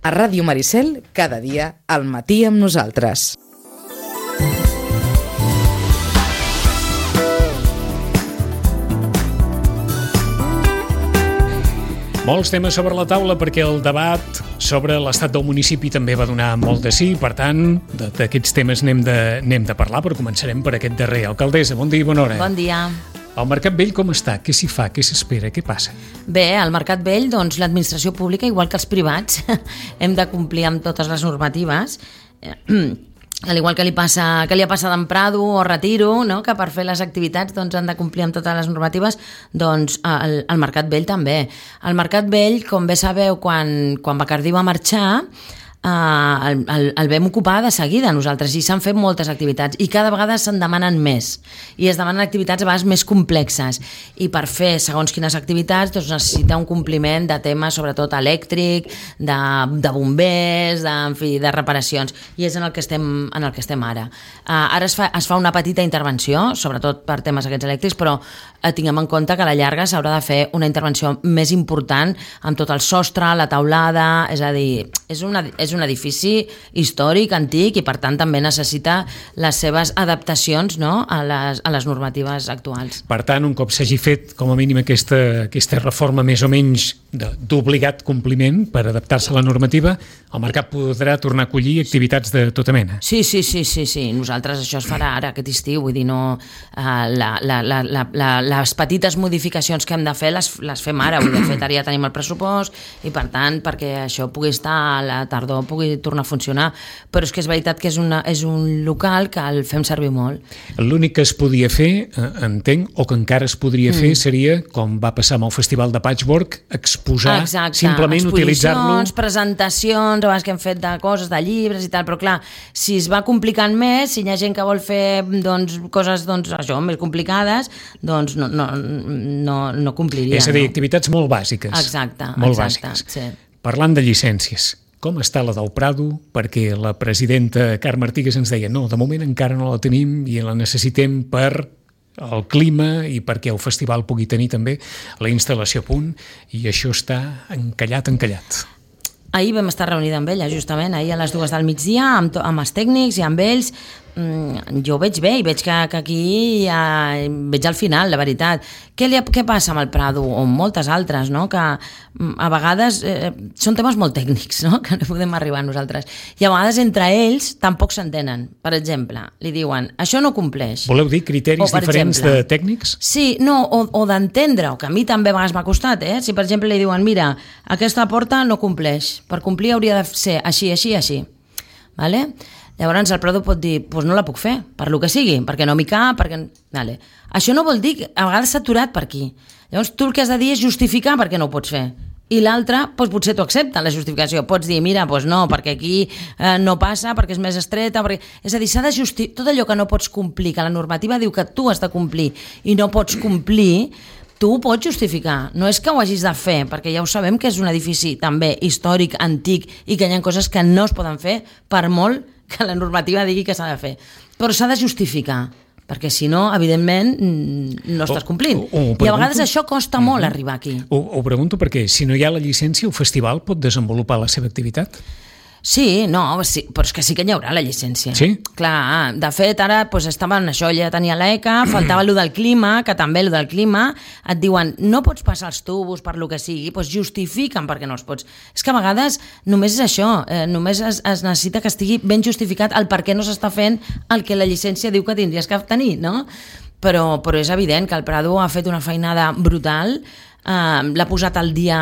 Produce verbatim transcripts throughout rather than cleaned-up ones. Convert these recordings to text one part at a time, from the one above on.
A Ràdio Maricel, cada dia, al matí amb nosaltres. Molts temes sobre la taula perquè el debat sobre l'estat del municipi també va donar molt de sí, per tant, d'aquests temes n'hem de, n'hem de parlar, però començarem per aquest darrer. Alcaldessa, bon dia i bona hora. Bon dia. El Mercat Vell com està? Què s'hi fa? Què s'espera? Què passa? Bé, al Mercat Vell, doncs, l'administració pública, igual que els privats, hem de complir amb totes les normatives. Al igual que li, passa, que li ha passat en Prado o Retiro, no? Que per fer les activitats doncs, han de complir amb totes les normatives, doncs el, el Mercat Vell també. El Mercat Vell, com bé sabeu, quan, quan Bacardí va marxar, Uh, el, el, el vam ocupar de seguida nosaltres i s'han fet moltes activitats i cada vegada se'n demanen més i es demanen activitats a vegades més complexes i per fer segons quines activitats doncs necessita un compliment de temes sobretot elèctric, de, de bombers, de, en fi, de reparacions i és en el que estem, en el que estem ara. Uh, ara es fa, es fa una petita intervenció sobretot per temes aquests elèctrics però uh, tinguem en compte que a la llarga s'haurà de fer una intervenció més important amb tot el sostre, la taulada, és a dir, és una, és un edifici històric, antic i per tant també necessita les seves adaptacions, no? a, les, a les normatives actuals. Per tant, un cop s'hagi fet com a mínim aquesta, aquesta reforma més o menys d'obligat compliment per adaptar-se a la normativa, el mercat podrà tornar a acollir activitats de tota mena. Sí, sí, sí, sí, sí. Nosaltres això es farà ara aquest estiu, vull dir, no, uh, la, la, la, la, la, les petites modificacions que hem de fer les, les fem ara, vull dir, de fet ara ja tenim el pressupost i per tant perquè això pugui estar a la tardor pugui tornar a funcionar, però és que és veritat que és, una, és un local que el fem servir molt. L'únic que es podia fer, eh, entenc, o que encara es podria mm. fer, seria, com va passar amb el Festival de Patchwork, exposar, exacte, simplement utilitzar-lo... exposicions, presentacions, a vegades que hem fet de coses, de llibres i tal, però clar, si es va complicant més, si hi ha gent que vol fer doncs, coses doncs, això, més complicades, doncs no, no, no, no compliria. És a dir, no? activitats molt bàsiques. Exacte, molt exacte, bàsiques. Sí. Parlant de llicències, com està la del Prado? Perquè la presidenta Carme Artigas ens deia no, de moment encara no la tenim i la necessitem per el clima i perquè el festival pugui tenir també la instal·lació a punt i això està encallat, encallat. Ahir vam estar reunida amb ella, justament, ahir a les dues del migdia, amb, to, amb els tècnics i amb ells. Mm, jo ho veig bé i veig que, que aquí ja, veig al final, la veritat. Què, li, què passa amb el Prado o amb moltes altres, no? Que a vegades eh, són temes molt tècnics, no? Que no podem arribar a nosaltres. I a vegades entre ells tampoc s'entenen. Per exemple, li diuen, això no compleix. Voleu dir criteris o, diferents exemple, de tècnics? Sí, no, o, o d'entendre, o que a mi també a vegades m'ha costat, eh? Si per exemple li diuen, mira, aquesta porta no compleix, per complir hauria de ser així, així, així. Vale? Llavors el Prado pot dir, doncs no la puc fer, per lo que sigui, perquè no m'hi cap, perquè... Vale. Això no vol dir que a vegades s'ha aturat per aquí. Llavors tu el que has de dir és justificar per què no ho pots fer. I l'altre, doncs potser t'ho accepta, la justificació. Pots dir, mira, doncs no, perquè aquí eh, no passa, perquè és més estreta, perquè... És a dir, s'ha de justificar... Tot allò que no pots complir, que la normativa diu que tu has de complir i no pots complir, tu ho pots justificar, no és que ho hagis de fer, perquè ja ho sabem que és un edifici també històric, antic, i que hi ha coses que no es poden fer per molt que la normativa digui que s'ha de fer. Però s'ha de justificar, perquè si no, evidentment, no estàs complint. O, o, o I a vegades això costa molt uh-huh. arribar aquí. Ho, ho pregunto perquè si no hi ha la llicència, el festival pot desenvolupar la seva activitat? Sí, no, sí, però és que sí que hi haurà la llicència. Sí? Clar, de fet, ara doncs, estaven això, ja tenia l'E C A, faltava allò del clima, que també allò del clima, et diuen, no pots passar els tubos per lo que sigui, doncs justifiquen perquè no els pots. És que a vegades només és això, eh, només es, es necessita que estigui ben justificat el per què no s'està fent el que la llicència diu que tindries que tenir, no? Però, però és evident que el Prado ha fet una feinada brutal, Uh, l'ha posat al dia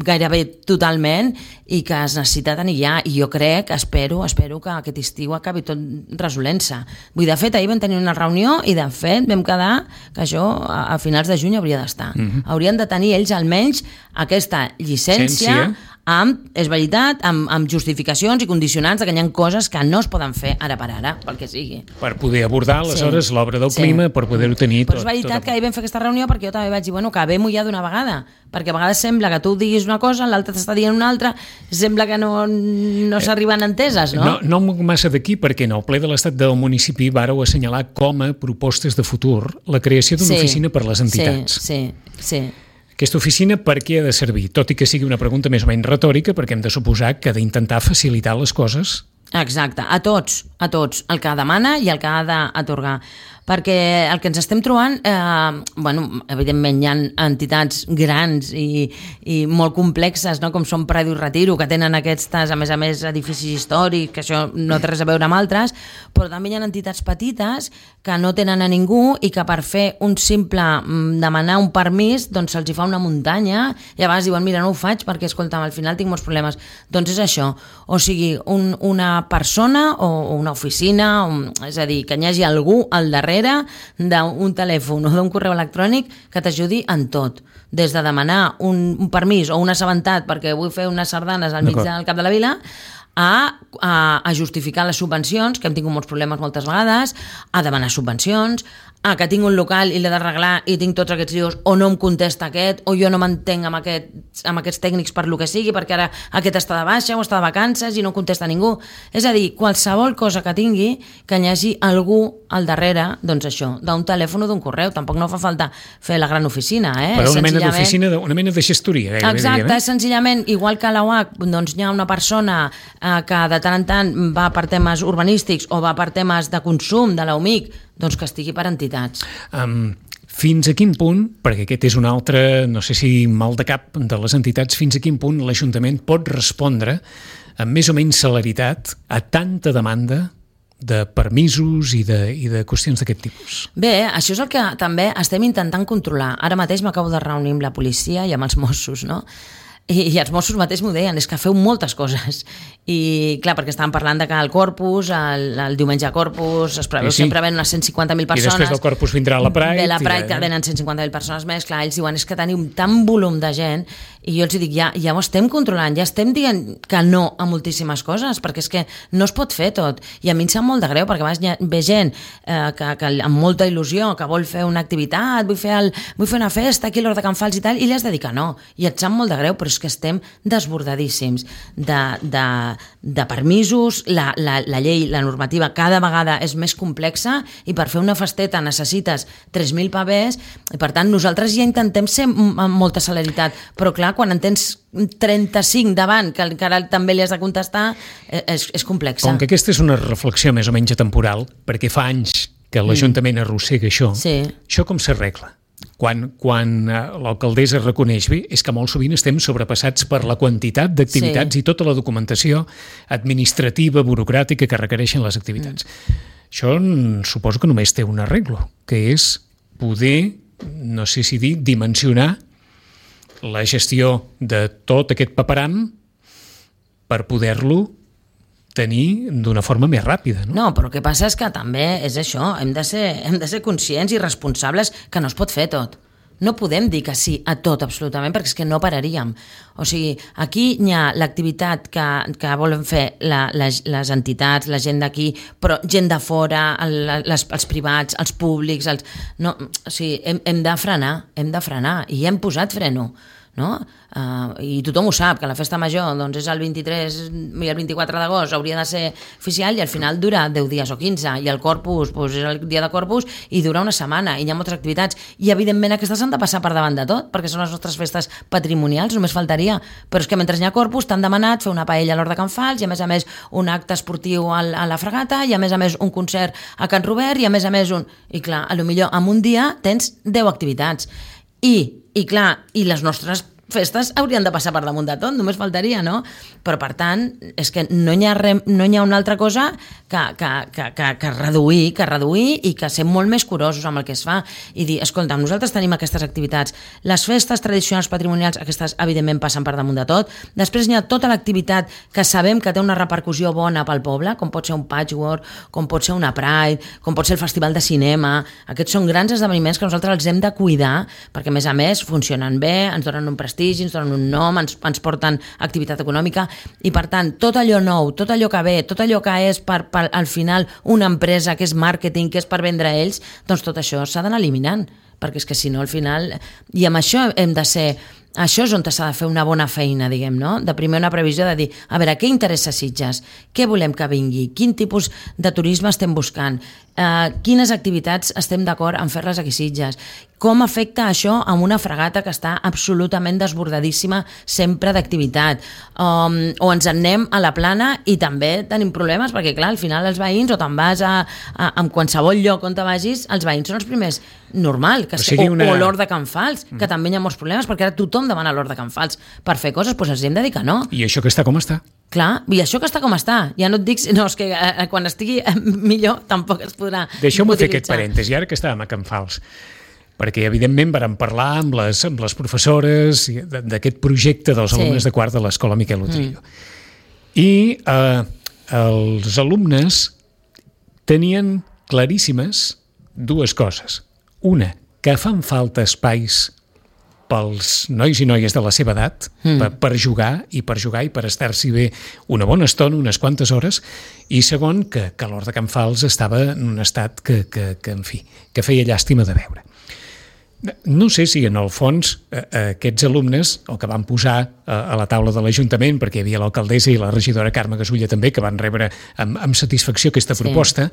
gairebé totalment i que es necessita tenir ja, i jo crec, espero, espero que aquest estiu acabi tot resolent-se. Vull dir, de fet, ahir vam tenir una reunió i de fet vam quedar que això a, a finals de juny hauria d'estar. Mm-hmm. Haurien de tenir ells almenys aquesta llicència Ciència. amb, és veritat, amb, amb justificacions i condicionants de que hi ha coses que no es poden fer ara per ara, pel que sigui. Per poder abordar, aleshores, sí. l'obra del sí. clima, per poder-ho tenir tot. Però tot, és veritat tot... que ahir vam fer aquesta reunió perquè jo també vaig dir, bueno, que acabem-ho ja d'una vegada, perquè a vegades sembla que tu diguis una cosa, l'altre t'està dient una altra, sembla que no, no s'arriben enteses, no? No, no moc massa d'aquí, perquè en el ple de l'Estat del municipi vàreu assenyalar com a propostes de futur la creació d'una sí. oficina per les entitats. Sí, sí, sí. Aquesta oficina per què ha de servir? Tot i que sigui una pregunta més o menys retòrica, perquè hem de suposar que ha d'intentar facilitar les coses. Exacte, a tots, a tots, el que demana i el que ha d'atorgar. Perquè el que ens estem trobant, eh, bueno, evidentment hi ha entitats grans i, i molt complexes, no? Com són Prado i Retiro, que tenen aquestes, a més a més, edificis històrics, que això no té res a veure amb altres, però també hi ha entitats petites que no tenen a ningú i que per fer un simple demanar un permís, doncs se'ls hi fa una muntanya i a vegades diuen, mira, no ho faig perquè, escolta'm, al final tinc molts problemes. Doncs és això, o sigui, un, una persona o una oficina, un, és a dir, que hi hagi algú al darrere d'un telèfon o d'un correu electrònic que t'ajudi en tot, des de demanar un, un permís o un assabentat perquè vull fer unes sardanes al mig del cap de la vila, a, a, a justificar les subvencions, que hem tingut molts problemes moltes vegades, a demanar subvencions, a que tinc un local i l'he d'arreglar i tinc tots aquests dius, o no em contesta aquest, o jo no m'entenc amb, aquest, amb aquests tècnics per lo que sigui, perquè ara aquest està de baixa o està de vacances i no contesta ningú. És a dir, qualsevol cosa que tingui, que hi hagi algú al darrere, doncs això, d'un telèfon o d'un correu. Tampoc no fa falta fer la gran oficina, eh? Però una mena d'oficina, una mena de gestoria. Gairebé, exacte, diguem, eh? És senzillament, igual que a la U A C, doncs hi ha una persona eh, que de tant en tant va per temes urbanístics o va per temes de consum de l'U M I C, doncs que estigui per entitats. Um, fins a quin punt, perquè aquest és un altre, no sé si mal de cap de les entitats, fins a quin punt l'Ajuntament pot respondre amb més o menys celeritat a tanta demanda de permisos i de, i de qüestions d'aquest tipus? Bé, això és el que també estem intentant controlar. Ara mateix m'acabo de reunir amb la policia i amb els Mossos, no? I, i els Mossos mateix m'ho deien, és que feu moltes coses. I clar, perquè estàvem parlant de que el Corpus, el, el diumenge a Corpus, es preveu, sí, sí. sempre ven unes cent cinquanta mil persones. I després del Corpus vindrà la Pride. Ve la Pride, ja, que venen cent cinquanta mil persones més. Clar, ells diuen, és que tenim tant volum de gent, i jo els dic, ja, ja ho estem controlant, ja estem dient que no a moltíssimes coses, perquè és que no es pot fer tot. I a mi em sap molt de greu, perquè a vegades ve gent eh, que, que amb molta il·lusió, que vol fer una activitat, vull fer, el, vull fer una festa aquí a l'Hort de Can Fals i tal, i li has de dir que no. I et sap molt de greu, però és que estem desbordadíssims de, de, de permisos, la, la, la llei, la normativa cada vegada és més complexa i per fer una festeta necessites tres mil pavès i per tant nosaltres ja intentem ser amb molta celeritat, però clar, quan en tens trenta-cinc davant que encara també li has de contestar és, és complexa. Com que aquesta és una reflexió més o menys atemporal, perquè fa anys que l'Ajuntament mm. arrossega això, sí. Això com s'arregla? Quan, quan l'alcaldessa reconeix bé, és que molt sovint estem sobrepassats per la quantitat d'activitats sí. i tota la documentació administrativa, burocràtica que requereixen les activitats. Mm. Això suposo que només té un arreglo, que és poder, no sé si dir, dimensionar la gestió de tot aquest paperam per poder-lo tenir d'una forma més ràpida. No? no, però el que passa és que també és això, hem de ser, hem de ser conscients i responsables que no es pot fer tot. No podem dir que sí a tot absolutament, perquè és que no pararíem. O sigui, aquí hi ha l'activitat que, que volen fer la, les, les entitats, la gent d'aquí, però gent de fora, el, les, els privats, els públics, els... No, o sigui, hem, hem de frenar, hem de frenar, i hem posat freno. No? Uh, i tothom ho sap, que la festa major doncs, és el vint-i-tres i el vint-i-quatre d'agost hauria de ser oficial i al final dura deu dies o quinze, i el Corpus doncs, és el dia de Corpus i dura una setmana i hi ha moltes activitats i evidentment aquestes han de passar per davant de tot perquè són les nostres festes patrimonials, només faltaria, però és que mentre hi ha Corpus t'han demanat fer una paella a l'Hort de Can Fals i a més a més un acte esportiu al, a la Fregata i a més a més un concert a Can Robert i a més a més un... i clar, a lo millor en un dia tens deu activitats i I clar, i les nostres festes haurien de passar per damunt de tot, només faltaria, no? Però, per tant, és que no hi ha, re, no hi ha una altra cosa que, que, que, que, que reduir, que reduir i que ser molt més curosos amb el que es fa i dir, escolta, nosaltres tenim aquestes activitats, les festes tradicionals patrimonials, aquestes evidentment passen per damunt de tot, després hi ha tota l'activitat que sabem que té una repercussió bona pel poble, com pot ser un patchwork, com pot ser una Pride, com pot ser el Festival de Cinema, aquests són grans esdeveniments que nosaltres els hem de cuidar, perquè a més a més funcionen bé, ens donen un prestigi, ens donen un nom, ens, ens porten activitat econòmica i per tant tot allò nou, tot allò que ve, tot allò que és per, per al final una empresa que és màrqueting, que és per vendre a ells, doncs tot això s'ha d'anar eliminant, perquè és que si no al final, i amb això hem de ser, això és on s'ha de fer una bona feina, diguem, no? De primer una previsió de dir, a veure, què interessa Sitges? Què volem que vingui? Quin tipus de turisme estem buscant? Uh, quines activitats estem d'acord en fer-les aquí Sitges? com afecta això amb una fragata que està absolutament desbordadíssima sempre d'activitat, um, o ens en anem a la plana i també tenim problemes perquè clar, al final els veïns, o te'n vas a, a, a qualsevol lloc on te vagis, els veïns són els primers, normal, que o, sigui o, una... o l'Hort de Can Fals, que mm. també hi ha molts problemes perquè ara tothom demana l'Hort de Can Fals per fer coses, doncs els hem de dir que no. I això que està com està? Clar, i això que està com està, ja no et dic, no, és que eh, quan estigui eh, millor tampoc es podrà Deixeu-me fer aquest parèntesi, ara que estàvem a Can Fals, perquè evidentment vàrem parlar amb les, amb les professores d'aquest projecte dels sí. alumnes de quart de l'Escola Miquel Utrillo. Mm. I eh, els alumnes tenien claríssimes dues coses. Una, que fan falta espais pels nois i noies de la seva edat mm. per, per jugar i per jugar i per estar-s'hi bé una bona estona, unes quantes hores, i segon, que, que l'Hort de Can Fals estava en un estat que, que, que, en fi, que feia llàstima de veure. No sé si en el fons eh, aquests alumnes, el que van posar eh, a la taula de l'Ajuntament, perquè hi havia l'alcaldessa i la regidora Carme Gasulla també, que van rebre amb, amb satisfacció aquesta sí. proposta,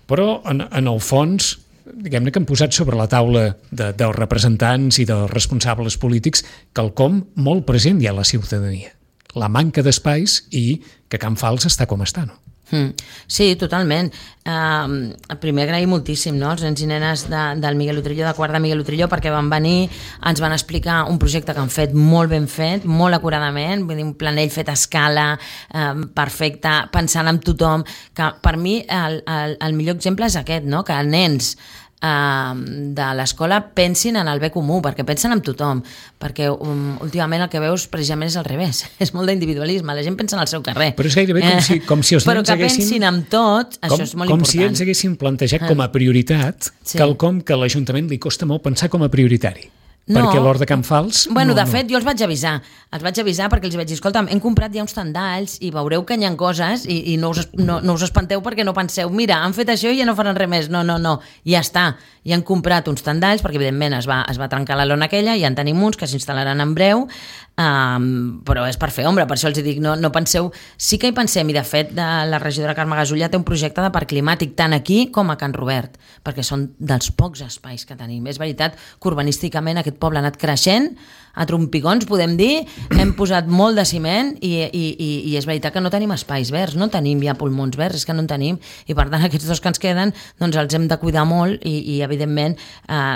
però en, en el fons diguem-ne que han posat sobre la taula de, dels representants i dels responsables polítics quelcom molt present ja a la ciutadania. La manca d'espais i que Can Fals està com està, no? Mm. Sí, totalment. Uh, primer agrair moltíssim, no?, els nens i nenes de, del Miguel Utrillo, de quart de Miguel Utrillo, perquè van venir, ens van explicar un projecte que han fet molt ben fet, molt acuradament, vull dir, un planell fet a escala, uh, perfecte, pensant en tothom, que per mi el, el, el millor exemple és aquest, no?, que nens Uh, de l'escola pensin en el bé comú, perquè pensen en tothom, perquè um, últimament el que veus precisament és al revés, és molt d'individualisme, la gent pensa en el seu carrer. Però és gairebé com si, com si els però nens que haguessin... pensin en tot, com, això és molt com important. Com si ells haguessin plantejat com a prioritat sí. quelcom que a l'Ajuntament li costa molt pensar com a prioritari. No. Perquè l'Hort de Can Fals... Bueno, no, de no. fet, jo els vaig avisar. Els vaig avisar perquè els vaig dir, escolta'm, hem comprat ja uns tendalls i veureu que hi ha coses i, i no, us, no, no us espanteu perquè no penseu, mira, han fet això i ja no faran res més. No, no, no, ja està. I han comprat uns tendalls perquè, evidentment, es va, es va trencar la lona aquella i ja en tenim uns que s'instal·laran en breu, um, però és per fer ombra, per això els dic, no, no penseu... Sí que hi pensem, i de fet, de la regidora Carme Gasulla té un projecte de parc climàtic tant aquí com a Can Robert, perquè són dels pocs espais que tenim. És veritat que urbanísticament aquest poble ha anat creixent, a trompicons, podem dir, hem posat molt de ciment i, i, i, i és veritat que no tenim espais verds, no tenim ja pulmons verds, és que no en tenim, i per tant aquests dos que ens queden doncs els hem de cuidar molt i, i evidentment eh,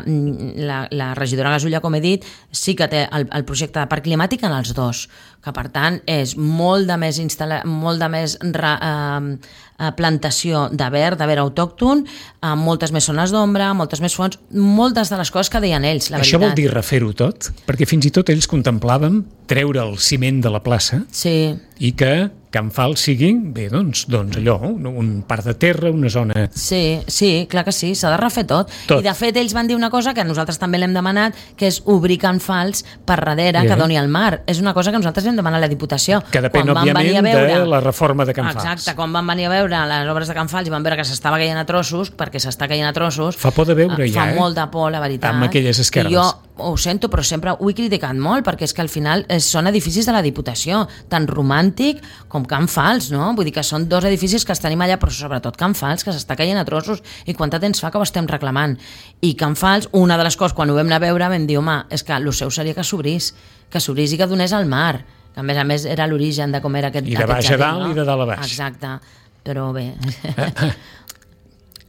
la, la regidora Gasulla, com he dit, sí que té el, el projecte de parc climàtic en els dos, que per tant és molt de més, instal·la... molt de més ra, eh, plantació de verd, de verd autòcton, amb moltes més zones d'ombra, moltes més fonts, moltes de les coses que deien ells, la Això veritat. vol dir refer-ho tot? Perquè fins i tot ells contemplàvem treure el ciment de la plaça sí. i que Can Fals sigui, bé, doncs, doncs allò, un, un part de terra, una zona... Sí, sí, clar que sí, s'ha de refer tot. tot. I de fet ells van dir una cosa que nosaltres també l'hem demanat, que és obrir Can Fals per darrere, yeah. que doni al mar. És una cosa que nosaltres vam demanar a la Diputació. Que depèn, òbviament, veure... de la reforma de Can Fals. Exacte, quan van venir a veure les obres de Can Fals i van veure que s'estava caient a trossos, perquè s'està caient a trossos... Fa por de veure ja, fa eh? Fa molt de por, la veritat. Amb aquelles esquerdes. I jo ho sento, però sempre ho he criticat molt, perquè és que al final són edificis de la Diputació, tant romàntic com Can Fals, no? Vull dir que són dos edificis que els tenim allà, però sobretot Can Fals, que s'està caient a trossos, i quant de temps fa que ho estem reclamant. I Can Fals, una de les coses, quan ho vam anar a veure, vam dir, home, és que el seu seria que s'obrís, que s'obrís i que donés al mar, que a més a més era l'origen de com era aquest I de baix a dalt, no? I de dalt a baix. Exacte, però bé...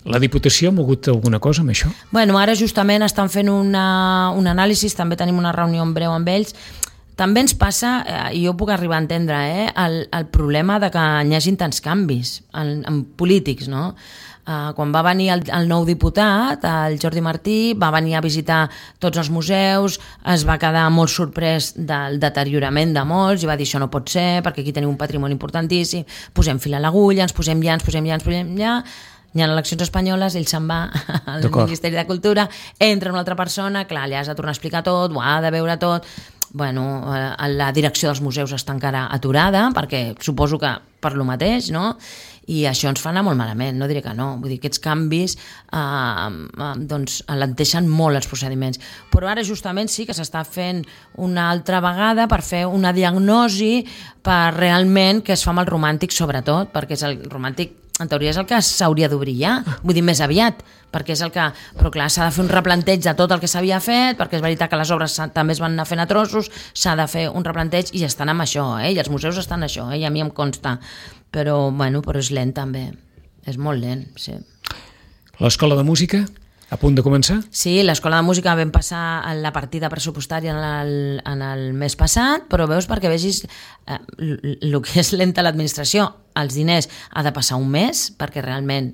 La Diputació ha mogut alguna cosa amb això? Bueno, ara justament estan fent una, un anàlisi, també tenim una reunió en breu amb ells. També ens passa, i jo puc arribar a entendre, eh, el, el problema de que hi hagin tants canvis en, en polítics, no? Uh, quan va venir el, el nou diputat, el Jordi Martí, va venir a visitar tots els museus, es va quedar molt sorprès del deteriorament de molts i va dir això no pot ser perquè aquí tenim un patrimoni importantíssim, posem fil a l'agulla, ens posem ja, ens posem ja, ens posem ja... Hi ha eleccions espanyoles, ell se'n va al Ministeri de Cultura, entra una altra persona, clar, li has de tornar a explicar tot, ho ha de veure tot... Bueno, la direcció dels museus està encara aturada, perquè suposo que per lo mateix, no? I això ens fa anar molt malament, no diré que no. Vull dir, aquests canvis eh, eh, doncs, alenteixen molt els procediments. Però ara justament sí que s'està fent una altra vegada per fer una diagnosi per realment què es fa amb el romàntic, sobretot, perquè és el romàntic en teoria és el que s'hauria d'obrir ja, vull dir més aviat, perquè és el que... Però clar, s'ha de fer un replanteig de tot el que s'havia fet, perquè és veritat que les obres també es van anar fent a trossos, s'ha de fer un replanteig i estan amb això, eh? I els museus estan en això, eh? I a mi em consta. Però, bueno, però és lent també, és molt lent, sí. L'Escola de Música, a punt de començar? Sí, l'Escola de Música vam passar la partida pressupostària en el, en el mes passat, però veus perquè vegis eh, el que és lenta l'administració. Els diners ha de passar un mes perquè realment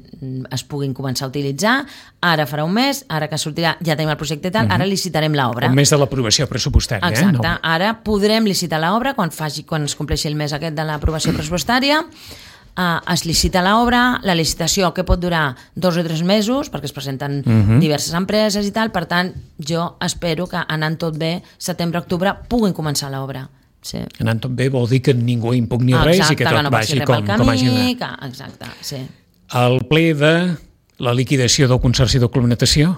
es puguin començar a utilitzar. Ara farà un mes, ara que sortirà ja tenim el projecte i tal, ara licitarem l'obra. Un mes de l'aprovació pressupostària. Exacte, eh? No. Ara podrem licitar l'obra quan, faci, quan es compleixi el mes aquest de l'aprovació pressupostària. Uh, es licita l'obra, la licitació que pot durar dos o tres mesos perquè es presenten uh-huh. diverses empreses i tal, per tant jo espero que anant tot bé, setembre-octubre puguin començar l'obra. Sí. Anant tot bé vol dir que ningú impugni exacte, res i que tot que no vagi com, camí, com hagi d'anar. que, exacte, sí. El ple de la liquidació del Consorci de Complementació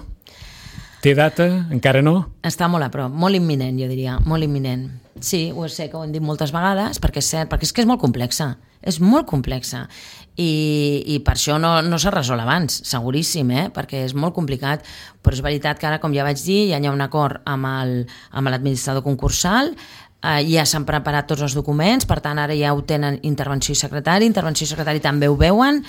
té data? Encara no? Està molt a prop, molt imminent, jo diria, molt imminent. Sí, ho sé que ho hem dit moltes vegades, perquè és cert, perquè és que és molt complexa, és molt complexa, i, i per això no, no s'ha resolt abans, seguríssim, eh? Perquè és molt complicat, però és veritat que ara, com ja vaig dir, ja hi ha un acord amb el, amb l'administrador concursal, eh, ja s'han preparat tots els documents, per tant, ara ja ho tenen intervenció i secretari, intervenció i secretari també ho veuen,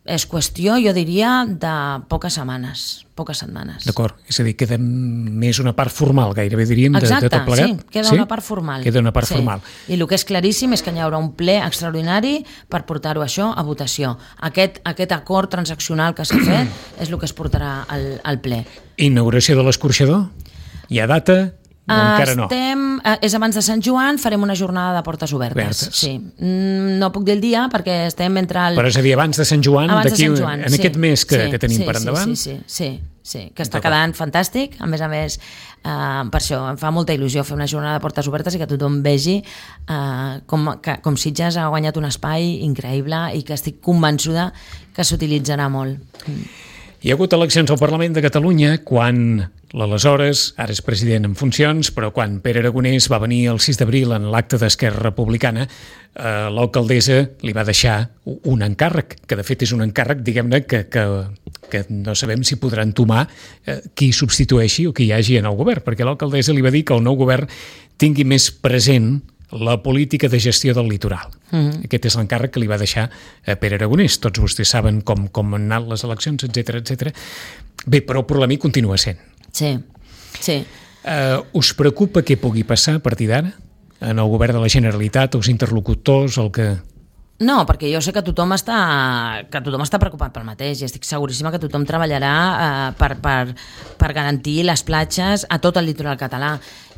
és qüestió, jo diria, de poques setmanes, poques setmanes. D'acord, és a dir, queda més una part formal, gairebé diríem, de, exacte, de tot plegat. sí, queda sí? una part formal. Queda una part sí. formal. I el que és claríssim és que hi haurà un ple extraordinari per portar-ho això a votació. Aquest, aquest acord transaccional que s'ha fet és el que es portarà al, al ple. Inauguració de l'escorxador? Hi ha data? No, encara no. Estem, és abans de Sant Joan, farem una jornada de portes obertes. Obertes. Sí. No puc dir el dia perquè estem entre el... Però és a dir, abans de Sant Joan, abans d'aquí, de Sant Joan, en sí, aquest mes que, sí, que tenim sí, per endavant? Sí, sí, sí, sí, sí que està quedant fantàstic. A més a més, eh, per això em fa molta il·lusió fer una jornada de portes obertes i que tothom vegi eh, com, que, com Sitges ha guanyat un espai increïble i que estic convençuda que s'utilitzarà molt. Hi ha hagut eleccions al Parlament de Catalunya quan l'aleshores, ara és president en funcions, però quan Pere Aragonès va venir el sis d'abril en l'acte d'Esquerra Republicana, eh, l'alcaldessa li va deixar un encàrrec, que de fet és un encàrrec, diguem-ne, que, que, que no sabem si podrà entomar eh, qui substitueixi o qui hi hagi en el govern, perquè l'alcaldessa li va dir que el nou govern tingui més present la política de gestió del litoral. Mm-hmm. Aquest és l'encàrrec que li va deixar a Pere Aragonès. Tots vostès saben com, com han anat les eleccions, etcètera, etcètera. Bé, però el problema hi continua sent. Sí, sí. Uh, us preocupa què pugui passar a partir d'ara? En el govern de la Generalitat, els interlocutors, el que... No, perquè jo sé que tothom està, que tothom està preocupat pel mateix i estic seguríssima que tothom treballarà eh, per, per, per garantir les platges a tot el litoral català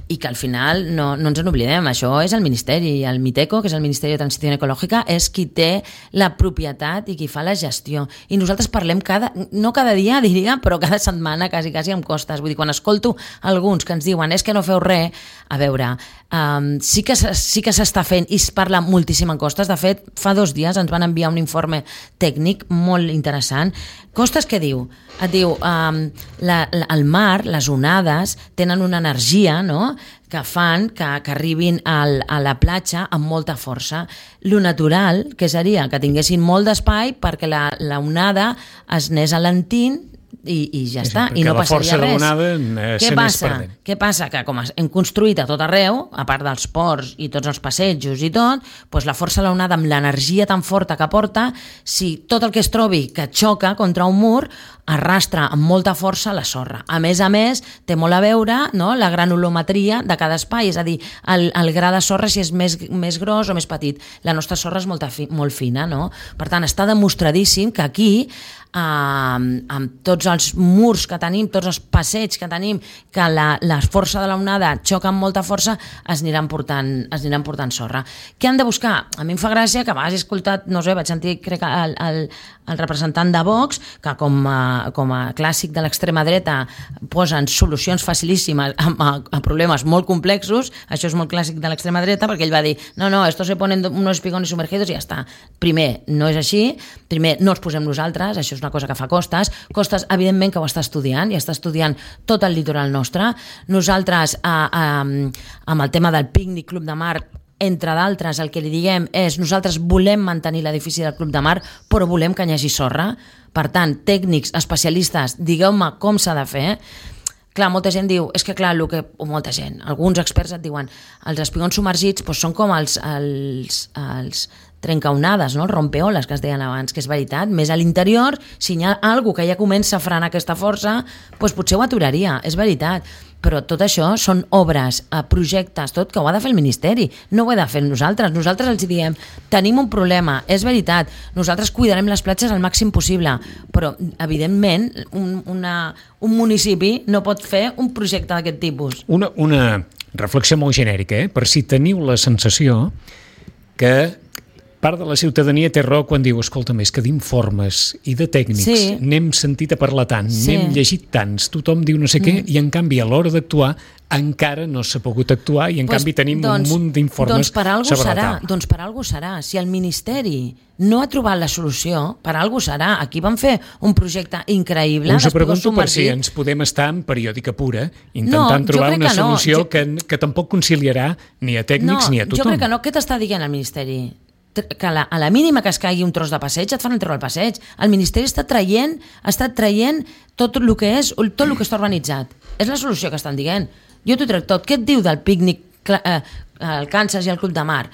i que al final no, no ens en oblidem, això és el Ministeri, el MITECO, que és el Ministeri de Transició Ecològica, és qui té la propietat i qui fa la gestió. I nosaltres parlem cada, no cada dia, diria, però cada setmana, quasi, quasi amb costes. Vull dir, quan escolto alguns que ens diuen és que no feu res, a veure, um, sí que, sí que s'està fent i es parla moltíssim en costes. De fet, fa dos dies ens van enviar un informe tècnic molt interessant. Costes què diu? Et diu, um, la, la, el mar, les onades, tenen una energia, no?, que fan que, que arribin al, a la platja amb molta força. Lo natural, que seria que tinguessin molt d'espai perquè la, la onada es anés alentint i, i ja sí, està, i no passaria res. L'onada, eh, Què passa? Què passa? Que com hem construït a tot arreu, a part dels ports i tots els passejos i tot, doncs la força de l'onada amb l'energia tan forta que porta, si tot el que es trobi que xoca contra un mur, arrastra amb molta força la sorra. A més a més, té molt a veure, no?, la granulometria de cada espai, és a dir, el, el gra de sorra si és més, més gros o més petit. La nostra sorra és molt, fi, molt fina, no? Per tant, està demostradíssim que aquí, eh, amb tots els murs que tenim, tots els passeigs que tenim, que la, la força de l'onada xoca amb molta força, es aniran portant, es aniran portant sorra. Què han de buscar? A mi em fa gràcia que a vegades he escoltat, no sé, vaig sentir, crec que el, el, el representant de Vox, que com a com a clàssic de l'extrema dreta posen solucions facilíssimes a, a, a problemes molt complexos. Això és molt clàssic de l'extrema dreta, perquè ell va dir no, no, esto se ponen unos espigones sumergidos i ja està. Primer, no és així, primer, no els posem nosaltres, això és una cosa que fa Costes. Costes, evidentment, que ho està estudiant, i està estudiant tot el litoral nostre. Nosaltres, eh, eh, amb el tema del pícnic Club de Mar, entre d'altres, el que li diguem és nosaltres volem mantenir l'edifici del Club de Mar, però volem que hi hagi sorra. Per tant, tècnics, especialistes, digueu-me com s'ha de fer. Clar, molta gent diu, és que clar, el que, o molta gent, alguns experts et diuen, els espigons submergits doncs, són com els, els, els trencaonades, no? Els rompeoles que es deien abans, que és veritat, més a l'interior, si hi ha alguna que ja comença a frenar aquesta força, doncs potser ho aturaria, és veritat. Però tot això són obres, projectes, tot que ho ha de fer el Ministeri, no ho he de fer nosaltres. Nosaltres els diem, tenim un problema, és veritat, nosaltres cuidarem les platges al màxim possible, però evidentment un, una, un municipi no pot fer un projecte d'aquest tipus. Una, una reflexió molt genèrica, eh? Per si teniu la sensació que part de la ciutadania té raó quan diu, escolta, més que d'informes i de tècnics, sí. N'hem sentit a parlar tant, sí. N'hem llegit tants, tothom diu no sé què, mm. i en canvi a l'hora d'actuar encara no s'ha pogut actuar i en pues, canvi tenim doncs, un munt d'informes doncs per algú sobre serà, la taula. Doncs per algú serà. Si el Ministeri no ha trobat la solució, per algú serà. Aquí van fer un projecte increïble. Us ho pregunto per si ens podem estar en periòdica pura, intentant no, trobar una solució no. jo... que, que tampoc conciliarà ni a tècnics no, ni a tothom. Jo crec que no. Què t'està dient el Ministeri? Que a la, a la mínima que es caigui un tros de passeig et fan treure el passeig. El Ministeri està traient, està traient tot el que és, tot el que està urbanitzat. És la solució que estan dient. Jo t'ho trec tot. Què et diu del pícnic, eh, el Kansas i el Club de Mar?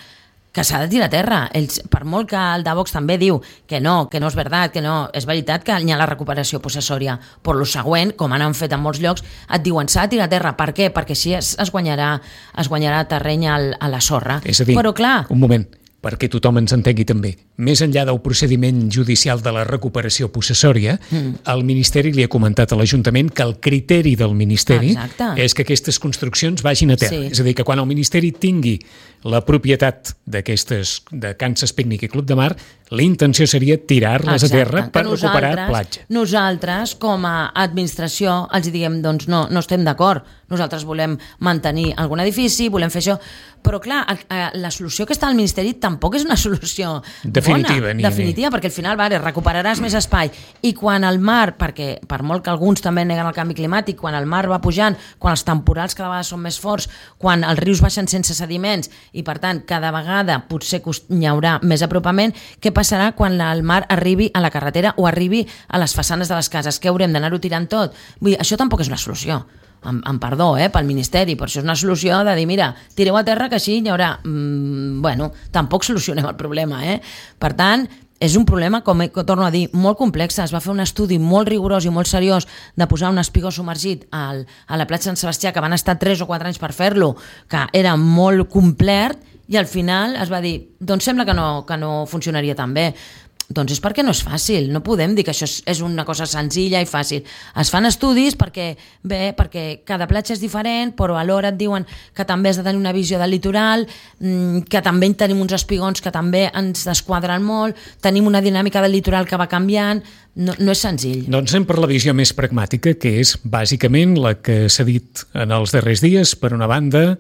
Que s'ha de tirar a terra. Ells, per molt que el de Vox també diu que no, que no és veritat, que no, és veritat que hi ha la recuperació possessòria, però el següent, com han fet en molts llocs, et diuen s'ha de tirar a terra. Per què? Perquè així es, es, guanyarà, es guanyarà terreny al, a la sorra. És a dir, però, clar, un moment, perquè tothom ens entengui també. Més enllà del procediment judicial de la recuperació possessòria, mm. el Ministeri li ha comentat a l'Ajuntament que el criteri del Ministeri Exacte. És que aquestes construccions vagin a terra. Sí. És a dir, que quan el Ministeri tingui la propietat d'aquestes, de Kansas Picnic i Club de Mar, la intenció seria tirar-les a terra per recuperar platja. Nosaltres, com a administració, els diguem, doncs no, no estem d'acord. Nosaltres volem mantenir algun edifici, volem fer això, però clar, la solució que està al Ministeri tampoc és una solució definitiva, bona, ni, definitiva, ni. Perquè al final vale, recuperaràs més espai, i quan el mar, perquè per molt que alguns també neguen el canvi climàtic, quan el mar va pujant, quan els temporals cada vegada són més forts, quan els rius baixen sense sediments, i per tant cada vegada potser hi haurà més apropament, què passarà quan el mar arribi a la carretera o arribi a les façanes de les cases? Què haurem d'anar-ho tirant tot? Vull dir, això tampoc és una solució. Amb, amb perdó, eh, pel Ministeri, però això és una solució de dir, mira, tireu a terra que així hi haurà... Mm, bueno, tampoc solucionem el problema, eh? Per tant, és un problema, com he, torno a dir, molt complex. Es va fer un estudi molt rigorós i molt seriós de posar un espigó submergit al, a la platja Sant Sebastià, que van estar tres o quatre anys per fer-lo, que era molt complet, i al final es va dir, doncs sembla que no, que no funcionaria tan bé. Doncs és perquè no és fàcil, no podem dir que això és una cosa senzilla i fàcil. Es fan estudis perquè, bé, perquè cada platja és diferent, però alhora et diuen que també has de tenir una visió del litoral, que també tenim uns espigons que també ens desquadren molt, tenim una dinàmica del litoral que va canviant, no, no és senzill. Doncs anem per la visió més pragmàtica, que és bàsicament la que s'ha dit en els darrers dies. Per una banda,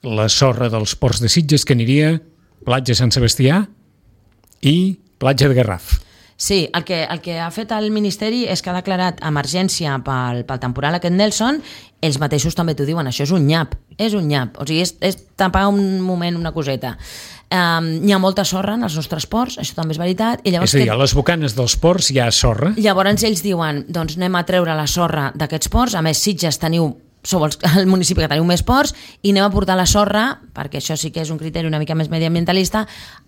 la sorra dels ports de Sitges, que aniria platja Sant Sebastià i platja de Garraf. Sí, el que, el que ha fet el Ministeri és que ha declarat emergència pel, pel temporal aquest Nelson. Ells mateixos també t'ho diuen, això és un nyap, és un nyap, o sigui, és, és tapar un moment una coseta. Um, hi ha molta sorra en els nostres ports, això també és veritat. I llavors és a dir, que... a les bocanes dels ports hi ha sorra. Llavors ells diuen, doncs anem a treure la sorra d'aquests ports, a més Sitges teniu sou el municipi que teniu més ports, i anem a portar la sorra, perquè això sí que és un criteri una mica més mediambientalista,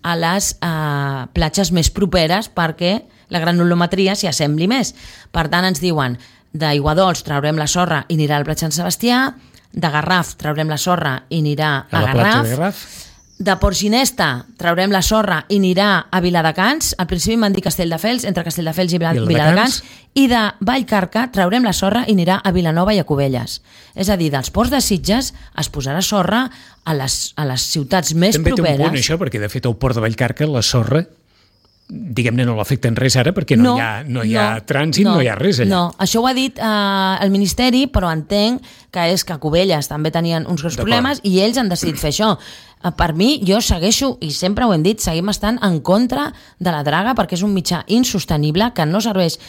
a les eh, platges més properes perquè la granulometria s'hi assembli més. Per tant, ens diuen, d'Aiguadols traurem la sorra i anirà al platja Sant Sebastià, de Garraf traurem la sorra i anirà a, a la Garraf, platja de Garraf, de Port Ginesta traurem la sorra i anirà a Viladecans, al principi m'han dit Castelldefels, entre Castelldefels i Viladecans, i de Vallcarca traurem la sorra i anirà a Vilanova i a Cubelles. És a dir, dels ports de Sitges es posarà sorra a les, a les ciutats més també properes. També té un punt això, perquè de fet al port de Vallcarca la sorra, diguem-ne, no l'afecten res ara perquè no, no, hi ha, no hi ha no, trànsit, no, no hi ha res allà. No, això ho ha dit eh, el Ministeri, però entenc que és que a Cubelles també tenien uns greus problemes i ells han decidit fer això. Per mi, jo segueixo, i sempre ho hem dit, seguim estant en contra de la draga perquè és un mitjà insostenible que no serveix,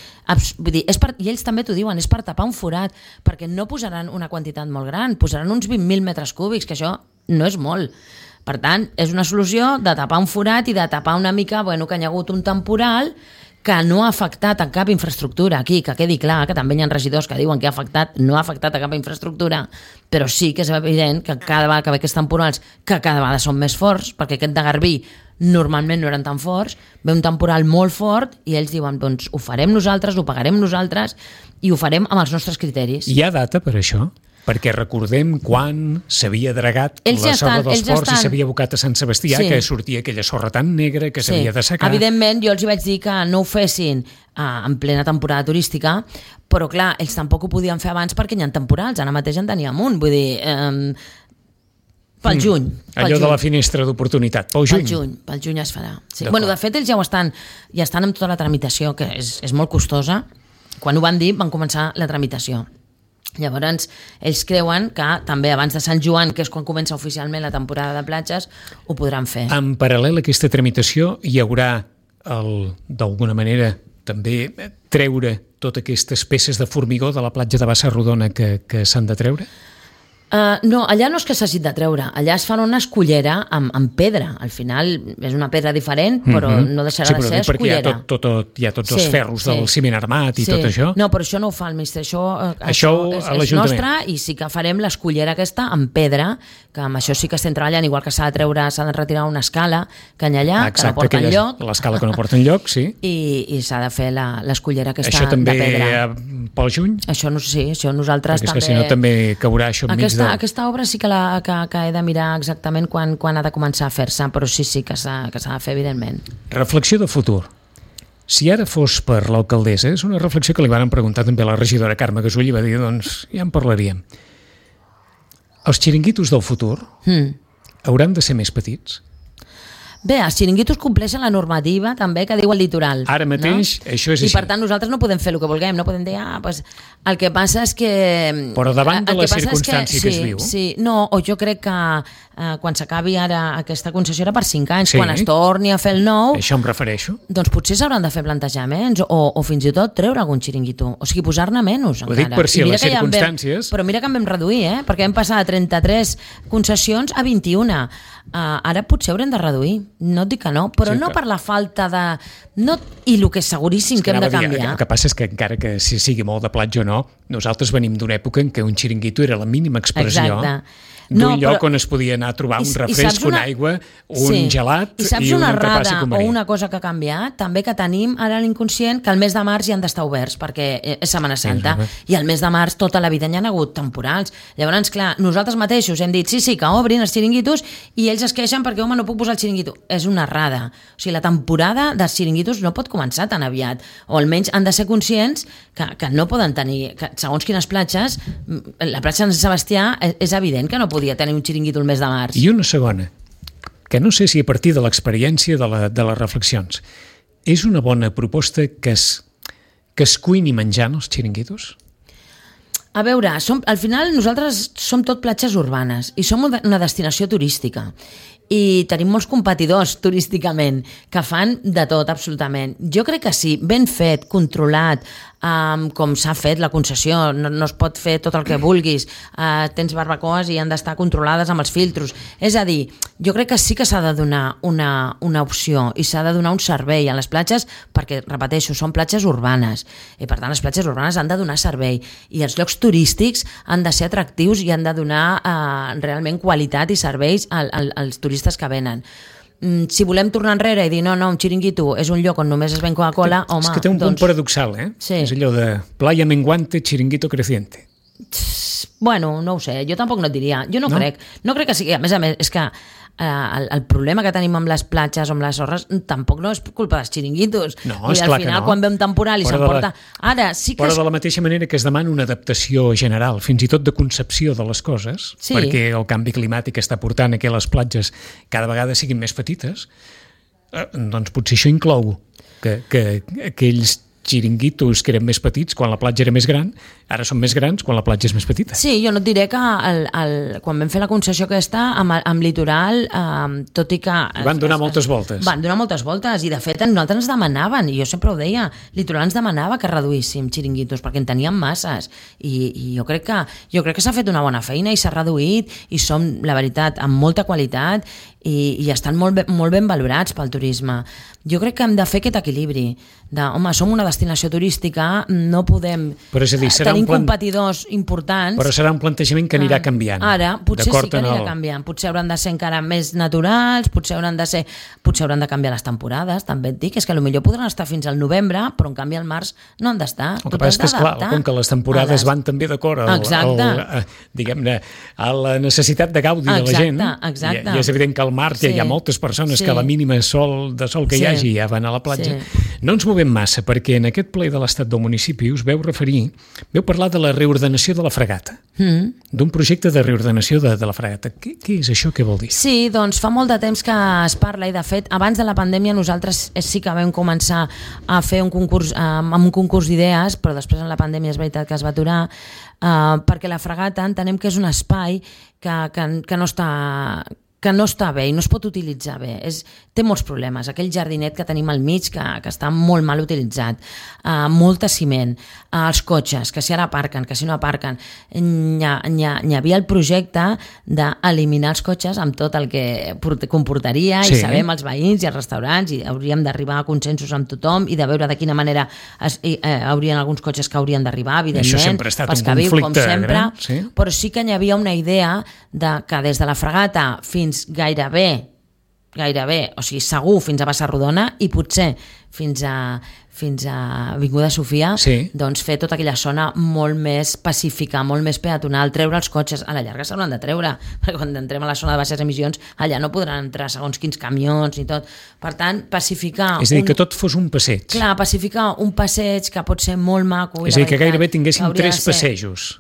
vull dir, és per, i ells també t'ho diuen, és per tapar un forat, perquè no posaran una quantitat molt gran, posaran uns vint mil metres cúbics, que això no és molt. Per tant, és una solució de tapar un forat i de tapar una mica, bueno, que hi ha hagut un temporal que no ha afectat a cap infraestructura aquí, que quedi clar, que també hi ha regidors que diuen que ha afectat, no ha afectat a cap infraestructura, però sí que és evident que cada vegada que ve aquests temporals, que cada vegada són més forts, perquè aquest de Garbí normalment no eren tan forts, ve un temporal molt fort i ells diuen, doncs ho farem nosaltres, ho pagarem nosaltres i ho farem amb els nostres criteris. Hi ha data per això? Perquè recordem quan s'havia dragat ells la ja sorra estan, dels ports estan... i s'havia abocat a Sant Sebastià, sí. que sortia aquella sorra tan negra que s'havia sí. de secar. Evidentment, jo els vaig dir que no ho fessin uh, en plena temporada turística, però clar, ells tampoc ho podien fer abans perquè hi ha temporals, ara mateix en teníem un, vull dir... Um, pel juny. Mm, pel allò juny. De la finestra d'oportunitat, pel juny. Pel juny, pel juny es farà. Sí. Bueno, de fet, ells ja ho estan, ja estan amb tota la tramitació, que és, és molt costosa. Quan ho van dir, van començar la tramitació. Llavors, ells creuen que també abans de Sant Joan, que és quan comença oficialment la temporada de platges, ho podran fer. En paral·lel a aquesta tramitació hi haurà, d'alguna manera, també treure totes aquestes peces de formigó de la platja de Bassa Rodona que, que s'han de treure? Uh, no, allà no és que s'hagi de treure, allà es fa una escullera amb, amb pedra, al final és una pedra diferent, però mm-hmm. no deixarà sí, de ser escullera. Sí, però perquè hi ha, tot, tot, hi ha tots sí, els ferros sí. del ciment armat i sí. tot això. No, però això no ho fa el ministre, això, això, això és, és nostre i sí que farem l'escullera aquesta amb pedra, que amb això sí que estem treballant, igual que s'ha de treure, s'ha de retirar una escala que hi ha allà, exacte, que no porta enlloc. L'escala que no porta enlloc, sí. I, i s'ha de fer l'escullera aquesta això també de pedra. Pel juny? Això no sí, això nosaltres perquè també... és que si no també caurà això enmig aquesta, de... Aquesta obra sí que, la, que, que he de mirar exactament quan, quan ha de començar a fer-se, però sí, sí que s'ha que s'ha de fer, evidentment. Reflexió de futur. Si ara fos per l'alcaldessa, és una reflexió que li van preguntar també a la regidora Carme Gasull i va dir, doncs ja en parlaríem. Els xiringuitos del futur mm. hauran de ser més petits? Bé, els xiringuitos compleixen la normativa també que diu el litoral. Ara mateix, no? Això és així. I per tant nosaltres no podem fer el que vulguem, no podem dir, ah, pues, el que passa és que... Però davant de la circumstància que, que sí, es viu... Sí, no, o jo crec que eh, quan s'acabi ara aquesta concessió era per cinc anys, sí. quan es torni a fer el nou... Això em refereixo. Doncs potser s'hauran de fer plantejaments o, o fins i tot treure algun xiringuito, o sigui, posar-ne menys encara. Ho dic per si a les circumstàncies... Vam, però mira que en vam reduir, eh? Perquè vam passar de trenta-tres concessions a vint-i-una. Uh, ara potser haurem de reduir, no et dic que no, però sí, no que... per la falta de... No... I el que és seguríssim és que, que hem de canviar... Dir, el que passa és que encara que si sigui molt de platja o no, nosaltres venim d'una època en què un xiringuito era la mínima expressió d'un no, lloc però... on es podia anar a trobar un refresc, una... una aigua, un sí. gelat i, saps i una un entrepà o una cosa que ha canviat, també que tenim ara l'inconscient que el mes de març hi han d'estar oberts perquè és Setmana Santa sí, i el mes de març tota la vida hi ha hagut temporals. Llavors, clar, nosaltres mateixos hem dit sí, sí, que obrin els xiringuitos i ells es queixen perquè, home, no puc posar el xiringuito. És una errada. O sigui, la temporada dels xiringuitos no pot començar tan aviat, o almenys han de ser conscients que, que no poden tenir, que segons quines platges, la platja de Sant Sebastià és evident que no podia tenir un xiringuito el mes de març. I una segona, que no sé si a partir de l'experiència de, la, de les reflexions, és una bona proposta que es, que es cuini menjant els xiringuitos? A veure, som, al final nosaltres som tot platges urbanes i som una destinació turística i tenim molts competidors turísticament que fan de tot, absolutament. Jo crec que sí, ben fet, controlat, um, com s'ha fet la concessió, no, no es pot fer tot el que vulguis, uh, tens barbacoes i han d'estar controlades amb els filtros. És a dir, jo crec que sí que s'ha de donar una, una opció i s'ha de donar un servei a les platges perquè, repeteixo, són platges urbanes i per tant les platges urbanes han de donar servei i els llocs turístics han de ser atractius i han de donar uh, realment qualitat i serveis al, al, als turistes que venen. Mm, si volem tornar enrere i dir no, no, un xiringuito és un lloc on només es ven Coca-Cola, home... És que té un doncs... punt paradoxal, eh? Sí. És allò de playa menguante, xiringuito creciente. Bueno, no ho sé, jo tampoc no et diria. Jo no, no? crec. No crec que sigui... A més a més, és que eh, el, el problema que tenim amb les platges o amb les sorres tampoc no és culpa dels xiringuitos. No, és clar al final, que no. Quan ve un temporal i s'emporta... Ara, sí que... Però de la mateixa manera que es demana una adaptació general, fins i tot de concepció de les coses, sí. perquè el canvi climàtic està portant a que les platges cada vegada siguin més petites, eh, doncs potser això inclou que, que aquells xiringuitos que eren més petits quan la platja era més gran, ara són més grans quan la platja és més petita. Sí, jo no et diré que el, el, quan vam fer la concessió aquesta amb, amb litoral, eh, tot i que... I van donar es, moltes voltes. Van donar moltes voltes i de fet nosaltres ens demanaven, i jo sempre ho deia, litoral ens demanava que reduíssim xiringuitos perquè en teníem masses i, i jo crec que jo crec que s'ha fet una bona feina i s'ha reduït i som, la veritat, amb molta qualitat i, i estan molt ben, molt ben valorats pel turisme. Jo crec que hem de fer aquest equilibri de, home, som una destinació turística, no podem però és a dir, serà tenir un plan... competidors importants. Però serà un plantejament que anirà canviant. Ara, potser sí que anirà el... canviant. Potser hauran de ser encara més naturals, potser hauran de ser, potser hauran de canviar les temporades, també et dic, és que potser podran estar fins al novembre, però en canvi al març no han d'estar. El que passa és que, esclar, com que les temporades les... van també d'acord al, al, al, diguem-ne, a la necessitat de gaudi exacte, de la gent, exacte. I, i és evident que al mar sí. ja hi ha moltes persones sí. que a la mínima sol, de sol que sí. hi hagi ja van a la platja. Sí. No ens movem massa, perquè en aquest ple de l'Estat del Municipi us veu referir, veu parlar de la reordenació de la fregata, mm. d'un projecte de reordenació de, de la fregata. Què, què és això? Què vol dir? Sí, doncs fa molt de temps que es parla i de fet abans de la pandèmia nosaltres sí que vam començar a fer un concurs, eh, amb un concurs d'idees, però després en la pandèmia és veritat que es va aturar, eh, perquè la fregata entenem que és un espai que, que, que no està... que no està bé i no es pot utilitzar bé. És, té molts problemes. Aquell jardinet que tenim al mig, que, que està molt mal utilitzat, uh, molta ciment, uh, els cotxes, que si ara aparquen, que si no aparquen. Hi, ha, hi, ha, hi havia el projecte d'eliminar els cotxes amb tot el que comportaria, sí. i sabem els veïns i els restaurants, i hauríem d'arribar a consensos amb tothom i de veure de quina manera es, i, eh, haurien alguns cotxes que haurien d'arribar, evidentment. Això sempre ha estat un conflicte viu, com sempre, gran, sí? Però sí que hi havia una idea de que des de la fregata fins gairebé, gairebé, o sigui, segur fins a Bassarrodona i potser fins a, fins a Avinguda Sofia, sí. doncs fer tota aquella zona molt més pacífica, molt més peatonal, treure els cotxes, a la llarga s'hauran de treure, perquè quan entrem a la zona de baixes emissions, allà no podran entrar segons quins camions ni tot. Per tant, pacificar... És a dir, un... que tot fos un passeig. Clar, pacificar un passeig que pot ser molt maco. És a dir, que gairebé tinguéssim tres passejos.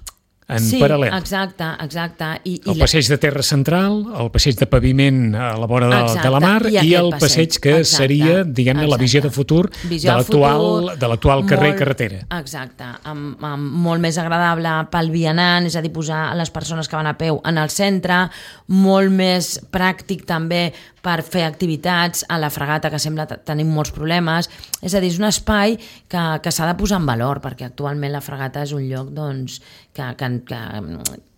En sí, paral·lel. exacte, exacte. I, el i passeig de terra central, el passeig de paviment a la vora de, de la mar i, i el passeig, passeig que exacte, seria, diguem-ne, la visió de futur visió de l'actual carrer i carretera. Exacte, amb, amb molt més agradable pel vianant, és a dir, posar les persones que van a peu en el centre, molt més pràctic també per fer activitats a la fregata, que sembla que tenim molts problemes. És a dir, és un espai que, que s'ha de posar en valor, perquè actualment la fregata és un lloc doncs, que, que, que,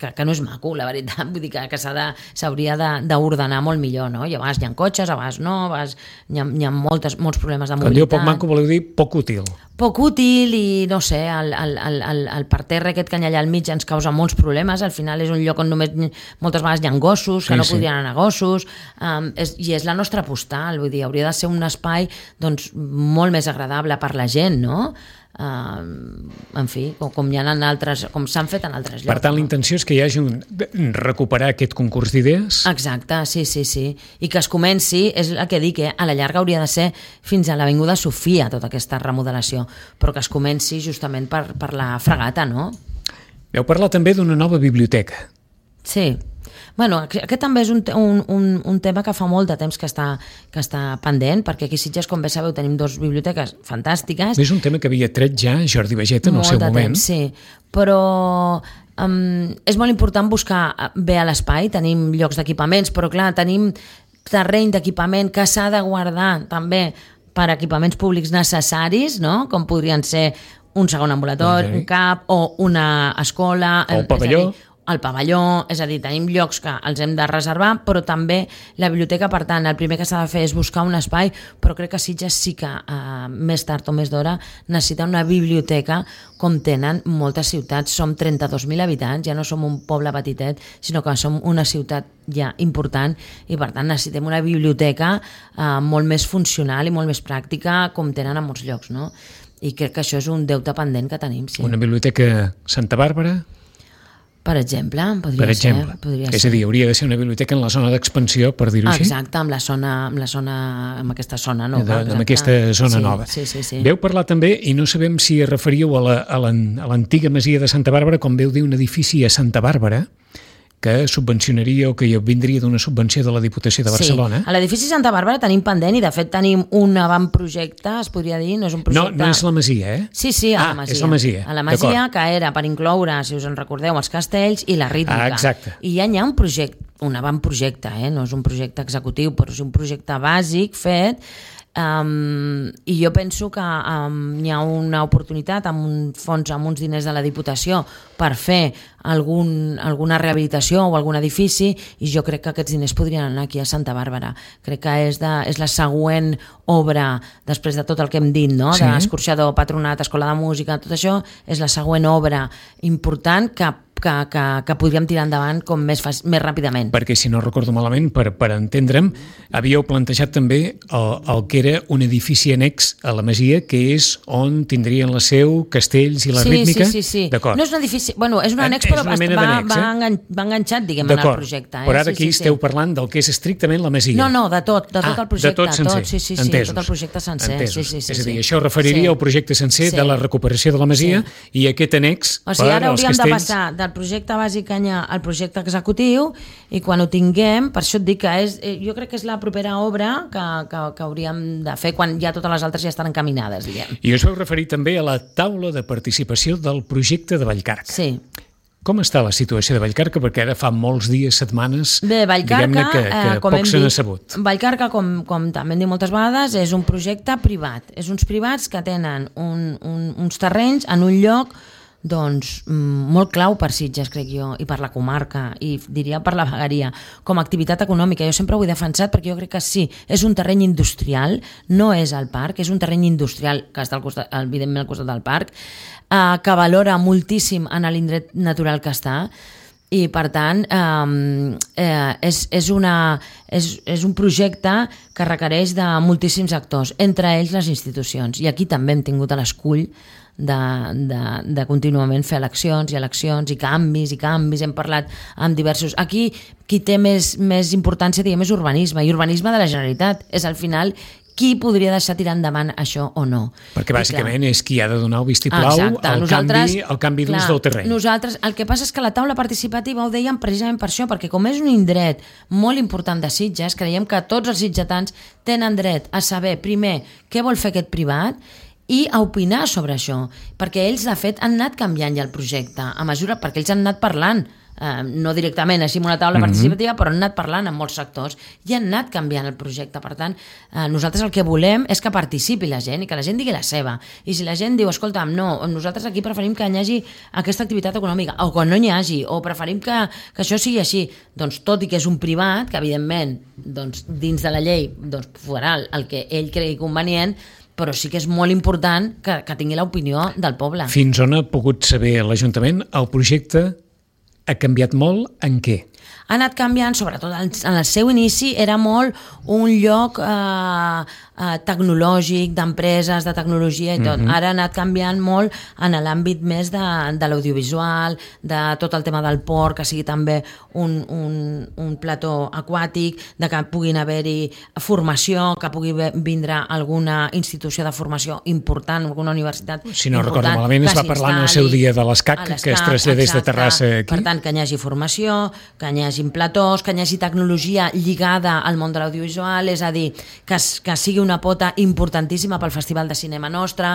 que, que no és maco, la veritat. Vull dir que, que s'hauria d'ordenar molt millor, no? I a vegades hi ha cotxes, a vegades no, a vegades hi ha, hi ha moltes, molts problemes de mobilitat. Quan diu poc maco, voleu dir poc útil. Poc útil i, no sé, el, el, el, el parterre aquest que hi ha allà al mig ens causa molts problemes. Al final és un lloc on només moltes vegades hi ha gossos, que sí, no sí. podrien anar gossos, um, és, i és la nostra postal, vull dir, hauria de ser un espai doncs, molt més agradable per la gent, no? Uh, en fi, com, com hi ha en altres, com s'han fet en altres llocs. Per tant, no? La intenció és que hi hagi un, recuperar aquest concurs d'idees? Exacte, sí, sí, sí. I que es comenci, és el que dic, eh? A la llarga hauria de ser fins a l'Avinguda Sofia, tota aquesta remodelació, però que es comenci justament per, per la fregata, no? Vau parlar també d'una nova biblioteca. Sí. Bueno, aquest també és un, un, un, un tema que fa molt de temps que està, que està pendent, perquè aquí a Sitges, com bé sabeu, tenim dues biblioteques fantàstiques. És un tema que havia tret ja Jordi Vegeta en el seu moment. Temps, sí, però um, és molt important buscar bé a l'espai, tenim llocs d'equipaments, però clar, tenim terreny d'equipament que s'ha de guardar també per equipaments públics necessaris, no? Com podrien ser un segon ambulatori, un C A P o una escola... O el pavelló. El pavelló, és a dir, tenim llocs que els hem de reservar, però també la biblioteca, per tant, el primer que s'ha de fer és buscar un espai, però crec que Sitges sí que eh, més tard o més d'hora necessita una biblioteca com tenen moltes ciutats. Som trenta-dos mil habitants, ja no som un poble petitet, sinó que som una ciutat ja important i per tant necessitem una biblioteca eh, molt més funcional i molt més pràctica com tenen a molts llocs, no? I crec que això és un deute pendent que tenim, sí. Una biblioteca Santa Bàrbara? Per exemple, podria per exemple. ser. Podria és a dir, hauria de ser una biblioteca en la zona d'expansió, per dir-ho així. Exacte, amb la zona, amb la zona, amb aquesta zona nova. De, amb aquesta zona sí, nova. Sí, sí, sí. Veu parlar també, i no sabem si es referíeu a l'antiga masia de Santa Bàrbara, com veu dir un edifici a Santa Bàrbara, que subvencionaria o que vindria d'una subvenció de la Diputació de Barcelona. Sí, a l'edifici Santa Bàrbara tenim pendent i de fet tenim un avantprojecte, es podria dir, no és un projecte... No, no és la masia, eh? Sí, sí, a ah, la masia. és la masia. A la masia, que era per incloure, si us en recordeu, els castells i la rítmica. Ah, exacte. I ja hi ha un projecte, un avantprojecte, eh? No és un projecte executiu, però és un projecte bàsic fet Um, I jo penso que um, hi ha una oportunitat amb un fons, amb uns diners de la Diputació per fer algun, alguna rehabilitació o algun edifici, i jo crec que aquests diners podrien anar aquí a Santa Bàrbara. Crec que és, de, és la següent obra, després de tot el que hem dit, no? Sí. D'escorxador, patronat, escola de música, tot això és la següent obra important que Que, que, que podríem tirar endavant com més, més ràpidament. Perquè, si no recordo malament, per, per entendre'm, havíeu plantejat també el, el que era un edifici annex a la Masia, que és on tindrien la seu castells i la sí, rítmica? Sí, sí, sí. D'acord. No és un edifici... Bueno, és un annex, però va, va, va, engan, va enganxat, diguem, en el projecte. Eh? Però ara sí, aquí sí, esteu sí. parlant del que és estrictament la Masia. No, no, de tot, de tot ah, el projecte. De tot sencer. Tot, sí, sí, sí, Entesos. tot el projecte sencer. Sí, sí, sí, és a dir, sí. això referiria sí. al projecte sencer sí. de la recuperació de la Masia sí. i aquest annex o sigui, per ara als hauríem castells... de passar del projecte bàsic Canyà al projecte executiu, i quan ho tinguem, per això et dic que és, jo crec que és la propera obra que, que, que hauríem de fer quan ja totes les altres ja estan encaminades, diguem. I us vau referir també a la taula de participació del projecte de Vallcarca. Sí. Com està la situació de Vallcarca? Perquè ara fa molts dies, setmanes, Bé, Vallcarca, que, que eh, com poc se n'ha sabut. Vallcarca, com, com també hem dit moltes vegades, és un projecte privat. És uns privats que tenen un, un, uns terrenys en un lloc doncs molt clau per Sitges, crec jo, i per la comarca, i diria per la vegueria, com a activitat econòmica. Jo sempre ho he defensat perquè jo crec que sí, és un terreny industrial, no és el parc, és un terreny industrial que està al costat, evidentment al costat del parc, eh, que valora moltíssim en l'indret natural que està, i per tant eh, eh, és, és, una, és, és un projecte que requereix de moltíssims actors, entre ells les institucions, i aquí també hem tingut a l'escull de, de, de contínuament fer eleccions i eleccions i canvis i canvis, hem parlat amb diversos... Aquí qui té més, més importància, diguem, és urbanisme, i urbanisme de la Generalitat, és al final qui podria deixar tirar endavant això o no. Perquè bàsicament és qui ha de donar el vistiplau Exacte. al Nosaltres, canvi, al canvi d'ús del terreny. Nosaltres, el que passa és que la taula participativa ho dèiem precisament per això, perquè com és un indret molt important de Sitges, creiem que tots els sitgetans tenen dret a saber, primer, què vol fer aquest privat, i a opinar sobre això, perquè ells, de fet, han anat canviant ja el projecte, a mesura, perquè ells han anat parlant, eh, no directament així en una taula mm-hmm. participativa, però han anat parlant amb molts sectors i han anat canviant el projecte. Per tant, eh, nosaltres el que volem és que participi la gent i que la gent digui la seva. I si la gent diu, escolta'm, no, nosaltres aquí preferim que hi hagi aquesta activitat econòmica, o que no n'hi hagi, o preferim que, que això sigui així, doncs tot i que és un privat, que evidentment doncs, dins de la llei doncs, farà el que ell cregui convenient, però sí que és molt important que, que tingui l'opinió del poble. Fins on ha pogut saber l'Ajuntament, el projecte ha canviat molt en què? Ha anat canviant, sobretot en el seu inici, era molt un lloc eh, eh, tecnològic, d'empreses, de tecnologia i tot. Mm-hmm. Ara ha anat canviant molt en l'àmbit més de, de l'audiovisual, de tot el tema del port, que sigui també un, un, un plató aquàtic, de que puguin haver-hi formació, que pugui vindre alguna institució de formació important, alguna universitat important. Si no recordo malament, es va parlar en el seu dia de l'ESCAC, que es traslladés de Terrassa aquí. Per tant, que hi hagi formació, que hi hagi platós, que hi hagi tecnologia lligada al món de l'audiovisual, és a dir, que, que sigui una pota importantíssima pel Festival de Cinema nostre,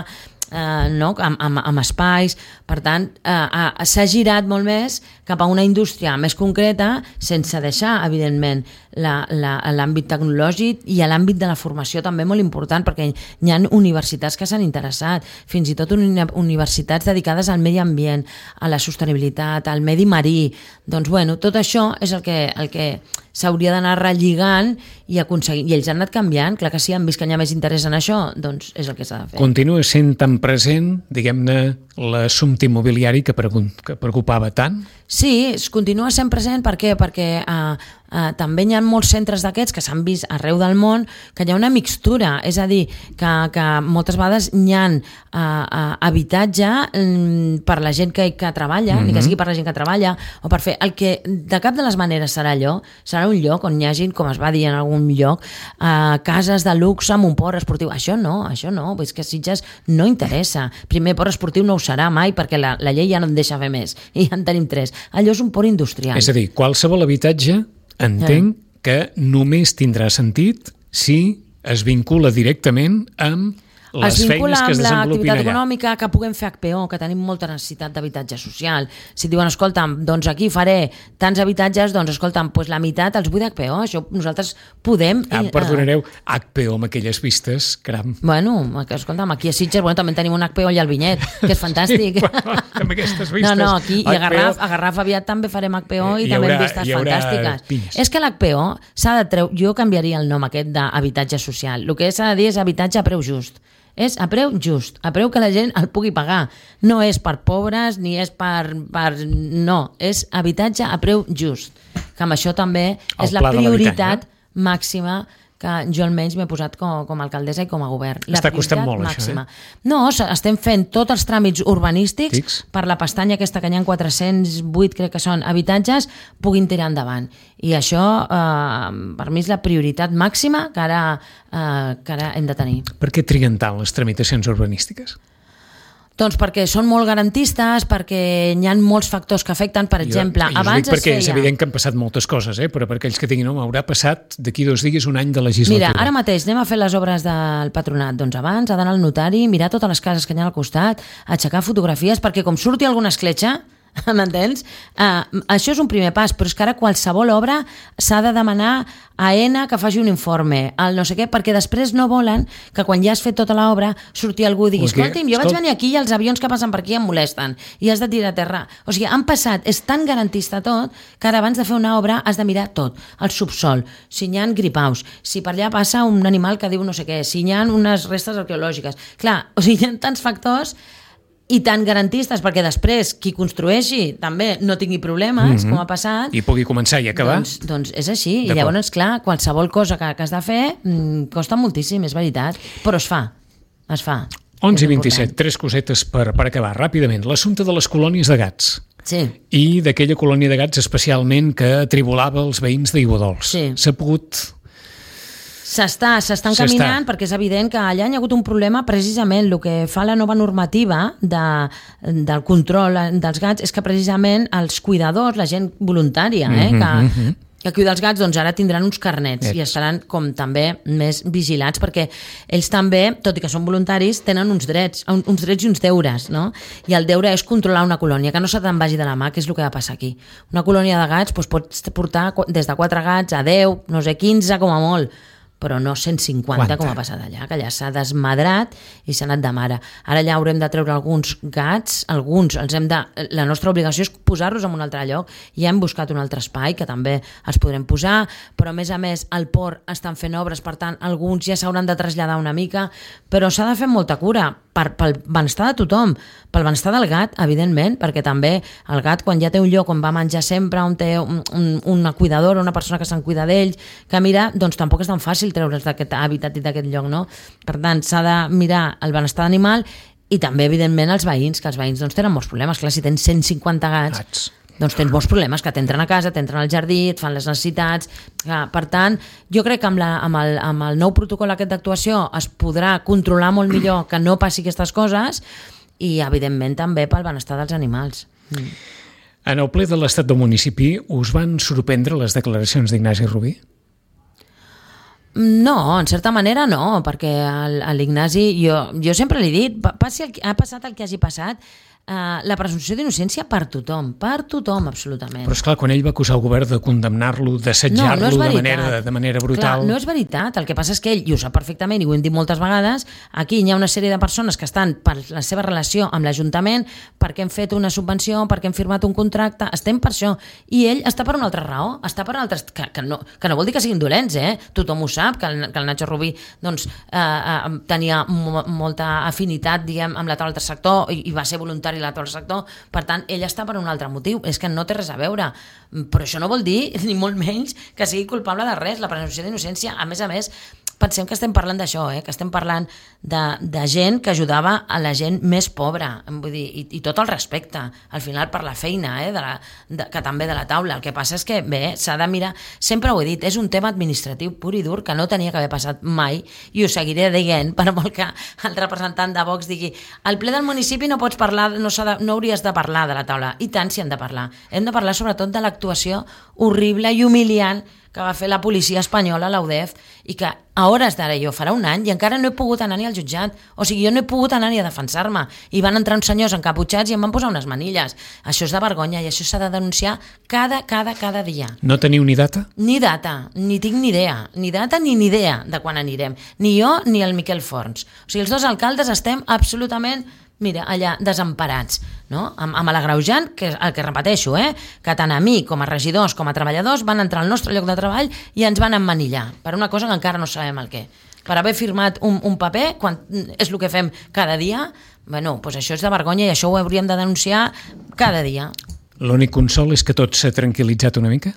eh, no? amb, amb, amb espais. Per tant, eh, s'ha girat molt més cap a una indústria més concreta, sense deixar, evidentment, l'àmbit tecnològic i l'àmbit de la formació també molt important, perquè hi ha universitats que s'han interessat, fins i tot universitats dedicades al medi ambient, a la sostenibilitat, al medi marí. Doncs bueno, tot això és el que, el que s'hauria d'anar relligant i aconseguir, i ells han anat canviant, clar que sí, han vist que hi ha més interès en això, doncs és el que s'ha de fer. Continua sent tan present, diguem-ne, l'assumpte immobiliari que preocupava tant? Sí, es continua sent present, per què? Perquè eh, eh, també hi ha molts centres d'aquests que s'han vist arreu del món, que hi ha una mixtura, és a dir, que, que moltes vegades hi ha eh, eh, habitatge mm, per la gent que, que treballa, mm-hmm. ni que sigui per la gent que treballa, o per fer el que de cap de les maneres serà allò, serà un lloc on hi hagi, com es va dir en algun lloc, eh, cases de luxe amb un port esportiu. Això no, això no, és que a Sitges no interessa. Primer, port esportiu no ho serà mai, perquè la, la llei ja no en deixa fer més, i ja en tenim tres. Allò és un port industrial. És a dir, qualsevol habitatge entenc que només tindrà sentit si es vincula directament amb les feines que es desenvolupin amb l'activitat allà. econòmica, que puguem fer H P O, que tenim molta necessitat d'habitatge social. Si diuen, escolta'm, doncs aquí faré tants habitatges, doncs escolta'm, doncs la meitat els vull d'H P O, això nosaltres podem... Ah, em perdonareu, H P O amb aquelles vistes, caram. Bueno, escolta'm, aquí a Sitges bueno, també tenim un H P O allà al Vinyet, que és fantàstic. Sí, bueno, amb aquestes vistes. No, no, aquí i a Garraf, a Garraf aviat també farem H P O i, i també amb vistes fantàstiques. Pinyes. És que l'H P O s'ha de treure, jo canviaria el nom aquest d'habitatge social. El que s'ha de dir és habitatge a preu just. És a preu just, a preu que la gent el pugui pagar. No és per pobres ni és per... per no, és habitatge a preu just. Que amb això també és la prioritat màxima que jo almenys m'he posat com, com a alcaldessa i com a govern. La Està costant molt, màxima. això, eh? No, estem fent tots els tràmits urbanístics Fix. per la pestanya aquesta que hi ha quatre-cents vuit, crec que són, habitatges, puguin tirar endavant. I això, eh, per mi, és la prioritat màxima que ara, eh, que ara hem de tenir. Per què triguen tant les tramitacions urbanístiques? Doncs perquè són molt garantistes, perquè hi ha molts factors que afecten, per exemple, jo, jo abans dic perquè es feia... és evident que han passat moltes coses, eh? Però per aquells que tinguin, no, haurà passat d'aquí dos dies un any de legislatura. Mira, ara mateix anem a fer les obres del patronat, doncs abans ha d'anar al notari, mirar totes les cases que hi ha al costat, aixecar fotografies, perquè com surti alguna escletxa, m'entens? Uh, això és un primer pas, però és que ara qualsevol obra s'ha de demanar a Aena que faci un informe, al no sé què, perquè després no volen que quan ja has fet tota l'obra surti algú i digui, escolti'm, jo vaig venir aquí i els avions que passen per aquí em molesten i has de tirar a terra. O sigui, han passat, és tan garantista tot que ara abans de fer una obra has de mirar tot, el subsol, si hi ha gripaus, si per allà passa un animal que diu no sé què, si hi ha unes restes arqueològiques. Clar, o sigui, hi ha tants factors i tan garantistes perquè després qui construeixi també no tingui problemes, mm-hmm. com ha passat, i pugui començar i acabar. Doncs, doncs és així, i llavors, clar, qualsevol cosa que, que has de fer mmm, costa moltíssim, és veritat, però es fa, es fa. onze i vint-i-set, tres cosetes per, per acabar ràpidament. L'assumpte de les colònies de gats. Sí. I d'aquella colònia de gats especialment que atribulava els veïns d'Aiguadols. Sí. S'ha pogut... S'està, s'estan caminant perquè és evident que allà hi ha hagut un problema, precisament el que fa la nova normativa de, del control dels gats és que precisament els cuidadors, la gent voluntària eh, que, mm-hmm. que cuida els gats, doncs ara tindran uns carnets Ets. i estaran com també més vigilats perquè ells també, tot i que són voluntaris, tenen uns drets, uns drets i uns deures, no? I el deure és controlar una colònia, que no se te'n vagi de la mà, que és el que va passar aquí. Una colònia de gats doncs, pots portar des de quatre gats a deu, no sé, quinze com a molt, però no cent cinquanta Quanta? Com ha passat allà, que allà s'ha desmadrat i s'ha anat de mare. Ara ja haurem de treure alguns gats, alguns els hem de... La nostra obligació és posar-los en un altre lloc. Ja hem buscat un altre espai que també els podrem posar, però a més a més al port estan fent obres, per tant alguns ja s'hauran de traslladar una mica, però s'ha de fer molta cura per, pel benestar de tothom, pel benestar del gat, evidentment, perquè també el gat quan ja té un lloc on va menjar sempre, on té un, un, una cuidadora, una persona que se'n cuida d'ell, que mira, doncs tampoc és tan fàcil treure'ls d'aquest hàbitat i d'aquest lloc, no? Per tant, s'ha de mirar el benestar d'animal i també, evidentment, els veïns, que els veïns doncs, tenen molts problemes. Clar, si tens cent cinquanta gats, gats. doncs tens molts problemes, que t'entren a casa, t'entren al jardí, et fan les necessitats. Clar, per tant, jo crec que amb, la, amb, el, amb el nou protocol aquest d'actuació es podrà controlar molt millor que no passi aquestes coses i, evidentment, també pel benestar dels animals. Mm. En el ple de l'Estat del municipi us van sorprendre les declaracions d'Ignasi Rubí? No, en certa manera no, perquè l'Ignasi, jo, jo sempre li he dit, passi el, ha passat el que hagi passat, Uh, la presumpció d'innocència per tothom, per tothom, absolutament. Però esclar, quan ell va acusar el govern de condemnar-lo, d'assetjar-lo no, no de, manera, de manera brutal... Clar, no és veritat, el que passa és que ell, i ho sap perfectament, i ho hem dit moltes vegades, aquí hi ha una sèrie de persones que estan per la seva relació amb l'Ajuntament, perquè hem fet una subvenció, perquè hem firmat un contracte, estem per això, i ell està per una altra raó, està per altres... Que, que, no, que no vol dir que siguin dolents, eh? Tothom ho sap, que el, que el Nacho Rubí doncs, eh, eh, tenia mo, molta afinitat, diguem, amb la taula del sector, i, i va ser voluntari i l'altre sector, per tant, ell està per un altre motiu, és que no té res a veure, però això no vol dir, ni molt menys, que sigui culpable de res, la presumpció d'innocència, a més a més, pensem que estem parlant d'això, eh? que estem parlant de, de gent que ajudava a la gent més pobra, vull dir, i, i tot el respecte, al final per la feina, eh? de la, de, que també de la taula. El que passa és que, bé, s'ha de mirar, sempre ho he dit, és un tema administratiu pur i dur que no tenia que haver passat mai, i ho seguiré dient, per molt que el representant de Vox digui, al ple del municipi no pots parlar, no, de, no hauries de parlar de la taula, i tant si hem de parlar. Hem de parlar sobretot de l'actuació horrible i humiliant que va fer la policia espanyola, la U D E F, i que a hores d'ara jo farà un any i encara no he pogut anar ni al jutjat. O sigui, jo no he pogut anar ni a defensar-me. I van entrar uns senyors encaputxats i em van posar unes manilles. Això és de vergonya i això s'ha de denunciar cada, cada, cada dia. No teniu ni data? Ni data, ni tinc ni idea. Ni data ni ni idea de quan anirem. Ni jo ni el Miquel Forns. O sigui, els dos alcaldes estem absolutament, mira, allà desemparats, no? Amb, amb l'agreujant, que el que repeteixo, eh? que tant a mi com a regidors com a treballadors van entrar al nostre lloc de treball i ens van emmanillar per una cosa que encara no sabem el què. Per haver firmat un, un paper, quan és el que fem cada dia, bueno, doncs això és de vergonya i això ho hauríem de denunciar cada dia. L'únic consol és que tot s'ha tranquil·litzat una mica?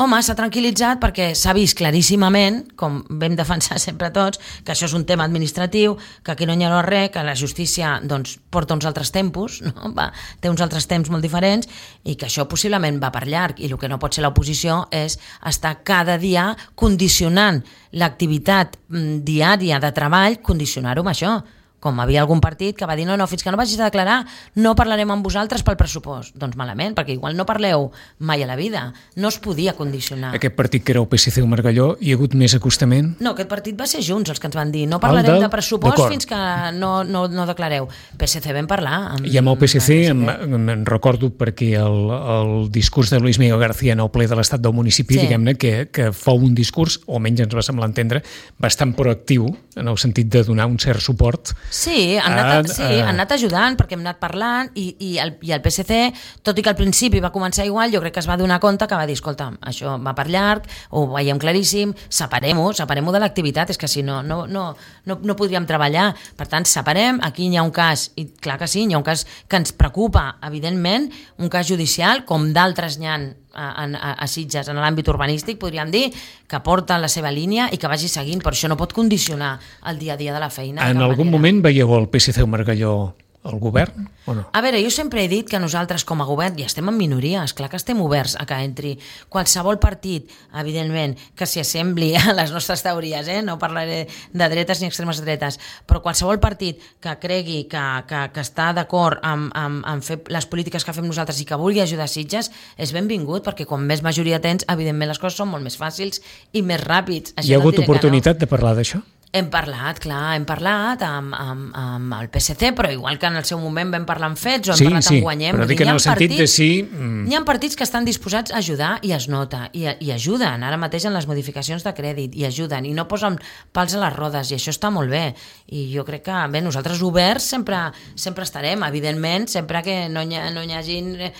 Home, s'ha tranquil·litzat perquè s'ha vist claríssimament, com vam defensar sempre tots, que això és un tema administratiu, que aquí no hi ha res, que la justícia doncs, porta uns altres tempos, no? Va, té uns altres temps molt diferents i que això possiblement va per llarg i el que no pot ser l'oposició és estar cada dia condicionant l'activitat diària de treball, condicionar-ho amb això. Com havia algun partit que va dir no, no, fins que no vagis a declarar no parlarem amb vosaltres pel pressupost. Doncs malament, perquè igual no parleu mai a la vida. No es podia condicionar. Aquest partit que era el P S C o Margalló, hi ha hagut més acostament? No, aquest partit va ser Junts els que ens van dir no parlarem del... de pressupost fins que no, no, no declareu. P S C vam parlar. Amb... I amb el P S C em, em recordo perquè el, el discurs de Luis Miguel García en el ple de l'Estat del municipi, sí. diguem-ne, que, que fou un discurs, o almenys ens va semblar entendre, bastant proactiu en el sentit de donar un cert suport. Sí, han anat, sí, han anat ajudant perquè hem anat parlant i, i, el, i el P S C, tot i que al principi va començar igual, jo crec que es va donar compte que va dir, escolta, això va per llarg, ho veiem claríssim, separem-ho, separem-ho de l'activitat, és que si no, no, no, no, no podríem treballar. Per tant, separem, aquí hi ha un cas, i clar que sí, hi ha un cas que ens preocupa, evidentment, un cas judicial, com d'altres n'hi ha A, a, a Sitges, en l'àmbit urbanístic, podríem dir que porta la seva línia i que vagi seguint, però això no pot condicionar el dia a dia de la feina. En algun manera. Moment veieu el P S C o Margalló al govern o no? A veure, jo sempre he dit que nosaltres com a govern ja estem en minoria, esclar que estem oberts a que entri qualsevol partit, evidentment, que s'hi assembli a les nostres teories, eh? No parlaré de dretes ni extremes dretes, però qualsevol partit que cregui que, que, que està d'acord amb, amb, amb fer les polítiques que fem nosaltres i que vulgui ajudar Sitges és benvingut, perquè quan més majoria tens, evidentment les coses són molt més fàcils i més ràpids. Hi ha hagut oportunitat no. de parlar d'això? Hem parlat, clar, hem parlat amb, amb, amb el P S C, però igual que en el seu moment vam parlar amb fets o hem sí, parlat sí, amb Guanyem. Però dic en el sentit de sí... Mm. Hi ha partits que estan disposats a ajudar i es nota, i, i ajuden ara mateix en les modificacions de crèdit, i ajuden, i no posen pals a les rodes, i això està molt bé. I jo crec que, bé, nosaltres oberts sempre, sempre estarem, evidentment, sempre que no hi, ha, no hi hagin eh,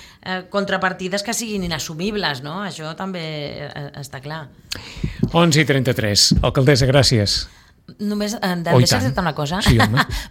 contrapartides que siguin inassumibles, no? Això també eh, està clar. onze i trenta-tres. Alcaldessa, gràcies. Només eh, de, oh, deixar dir-te una cosa, sí,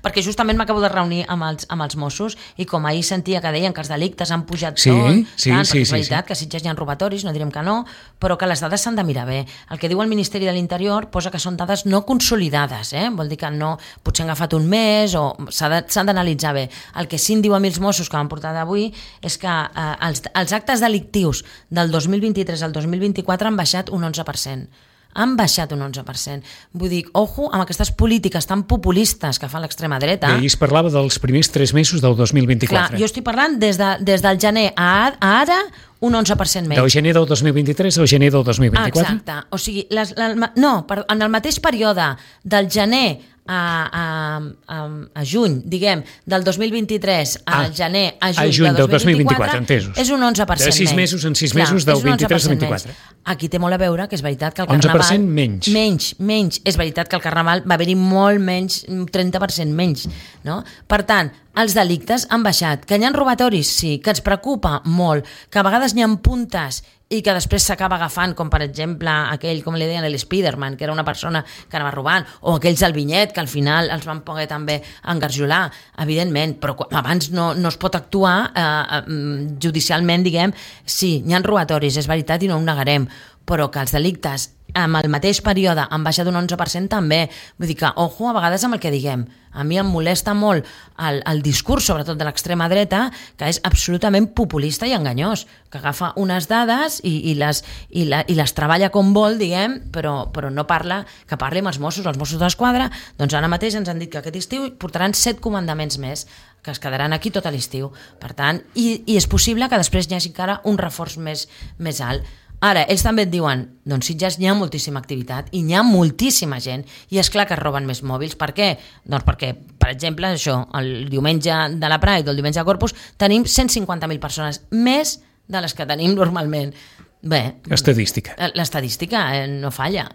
perquè justament m'acabo de reunir amb els, amb els Mossos i com ahir sentia que deien que els delictes han pujat sí, tot, sí, tant, sí, és veritat sí, que a Sitges hi ha robatoris, no direm que no, però que les dades s'han de mirar bé. El que diu el Ministeri de l'Interior posa que són dades no consolidades, eh? Vol dir que no, potser han agafat un mes o s'han d'analitzar bé. El que sí em diu a mi els Mossos que m'han portat avui és que eh, els, els actes delictius del dos mil vint-i-tres al dos mil vint-i-quatre han baixat un onze per cent. Han baixat un onze per cent. Vull dir, ojo amb aquestes polítiques tan populistes que fa l'extrema dreta. I es parlava dels primers tres mesos del dos mil vint-i-quatre. Clar, jo estic parlant des, de, des del gener a, a ara un onze per cent menys. Del gener del dos mil vint-i-tres al gener del dos mil vint-i-quatre? Exacte. O sigui, les, la, no, per, en el mateix període del gener a, a, a, a juny, diguem, del dos mil vint-i-tres al ah, gener a juny, a juny del dos mil vint-i-quatre, entesos. És un onze per cent menys. De sis mesos en sis mesos Clar, del vint-i-tres al vint-i-quatre. Aquí té molt a veure que és veritat que el Carnaval... onze per cent menys. Menys, menys. És veritat que el Carnaval va haver-hi molt menys, trenta per cent menys. No? Per tant, els delictes han baixat. Que hi ha robatoris? Sí. Que ens preocupa? Molt. Que a vegades n'hi ha puntes i que després s'acaba agafant, com per exemple aquell, com li deien, l'Spiderman, que era una persona que anava robant, o aquells del Vinyet, que al final els van poder també engarjolar, evidentment, però abans no, no es pot actuar eh, judicialment, diguem, sí, n'hi ha robatoris, és veritat, i no ho negarem, però que els delictes amb el mateix període han baixat un onze per cent també. Vull dir que, ojo, a vegades amb el que diguem. A mi em molesta molt el, el discurs, sobretot de l'extrema dreta, que és absolutament populista i enganyós, que agafa unes dades i, i, les, i, la, i les treballa com vol, diguem, però, però no parla, que parli amb els Mossos, els Mossos d'Esquadra, doncs ara mateix ens han dit que aquest estiu portaran set comandaments més, que es quedaran aquí tot l'estiu. Per tant, i, i és possible que després hi hagi encara un reforç més, més alt. Ara, ells també et diuen, doncs Sitges hi ha moltíssima activitat i hi ha moltíssima gent i és clar que es roben més mòbils. Per què? Doncs perquè, per exemple, això, el diumenge de la Pride o el diumenge de Corpus tenim cent cinquanta mil persones, més de les que tenim normalment. Bé, estadística. L'estadística eh, no falla.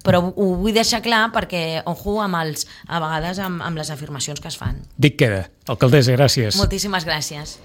Però ho vull deixar clar perquè, ojo, amb els, a vegades amb, amb les afirmacions que es fan. Dic queda. Alcaldessa, gràcies. Moltíssimes gràcies.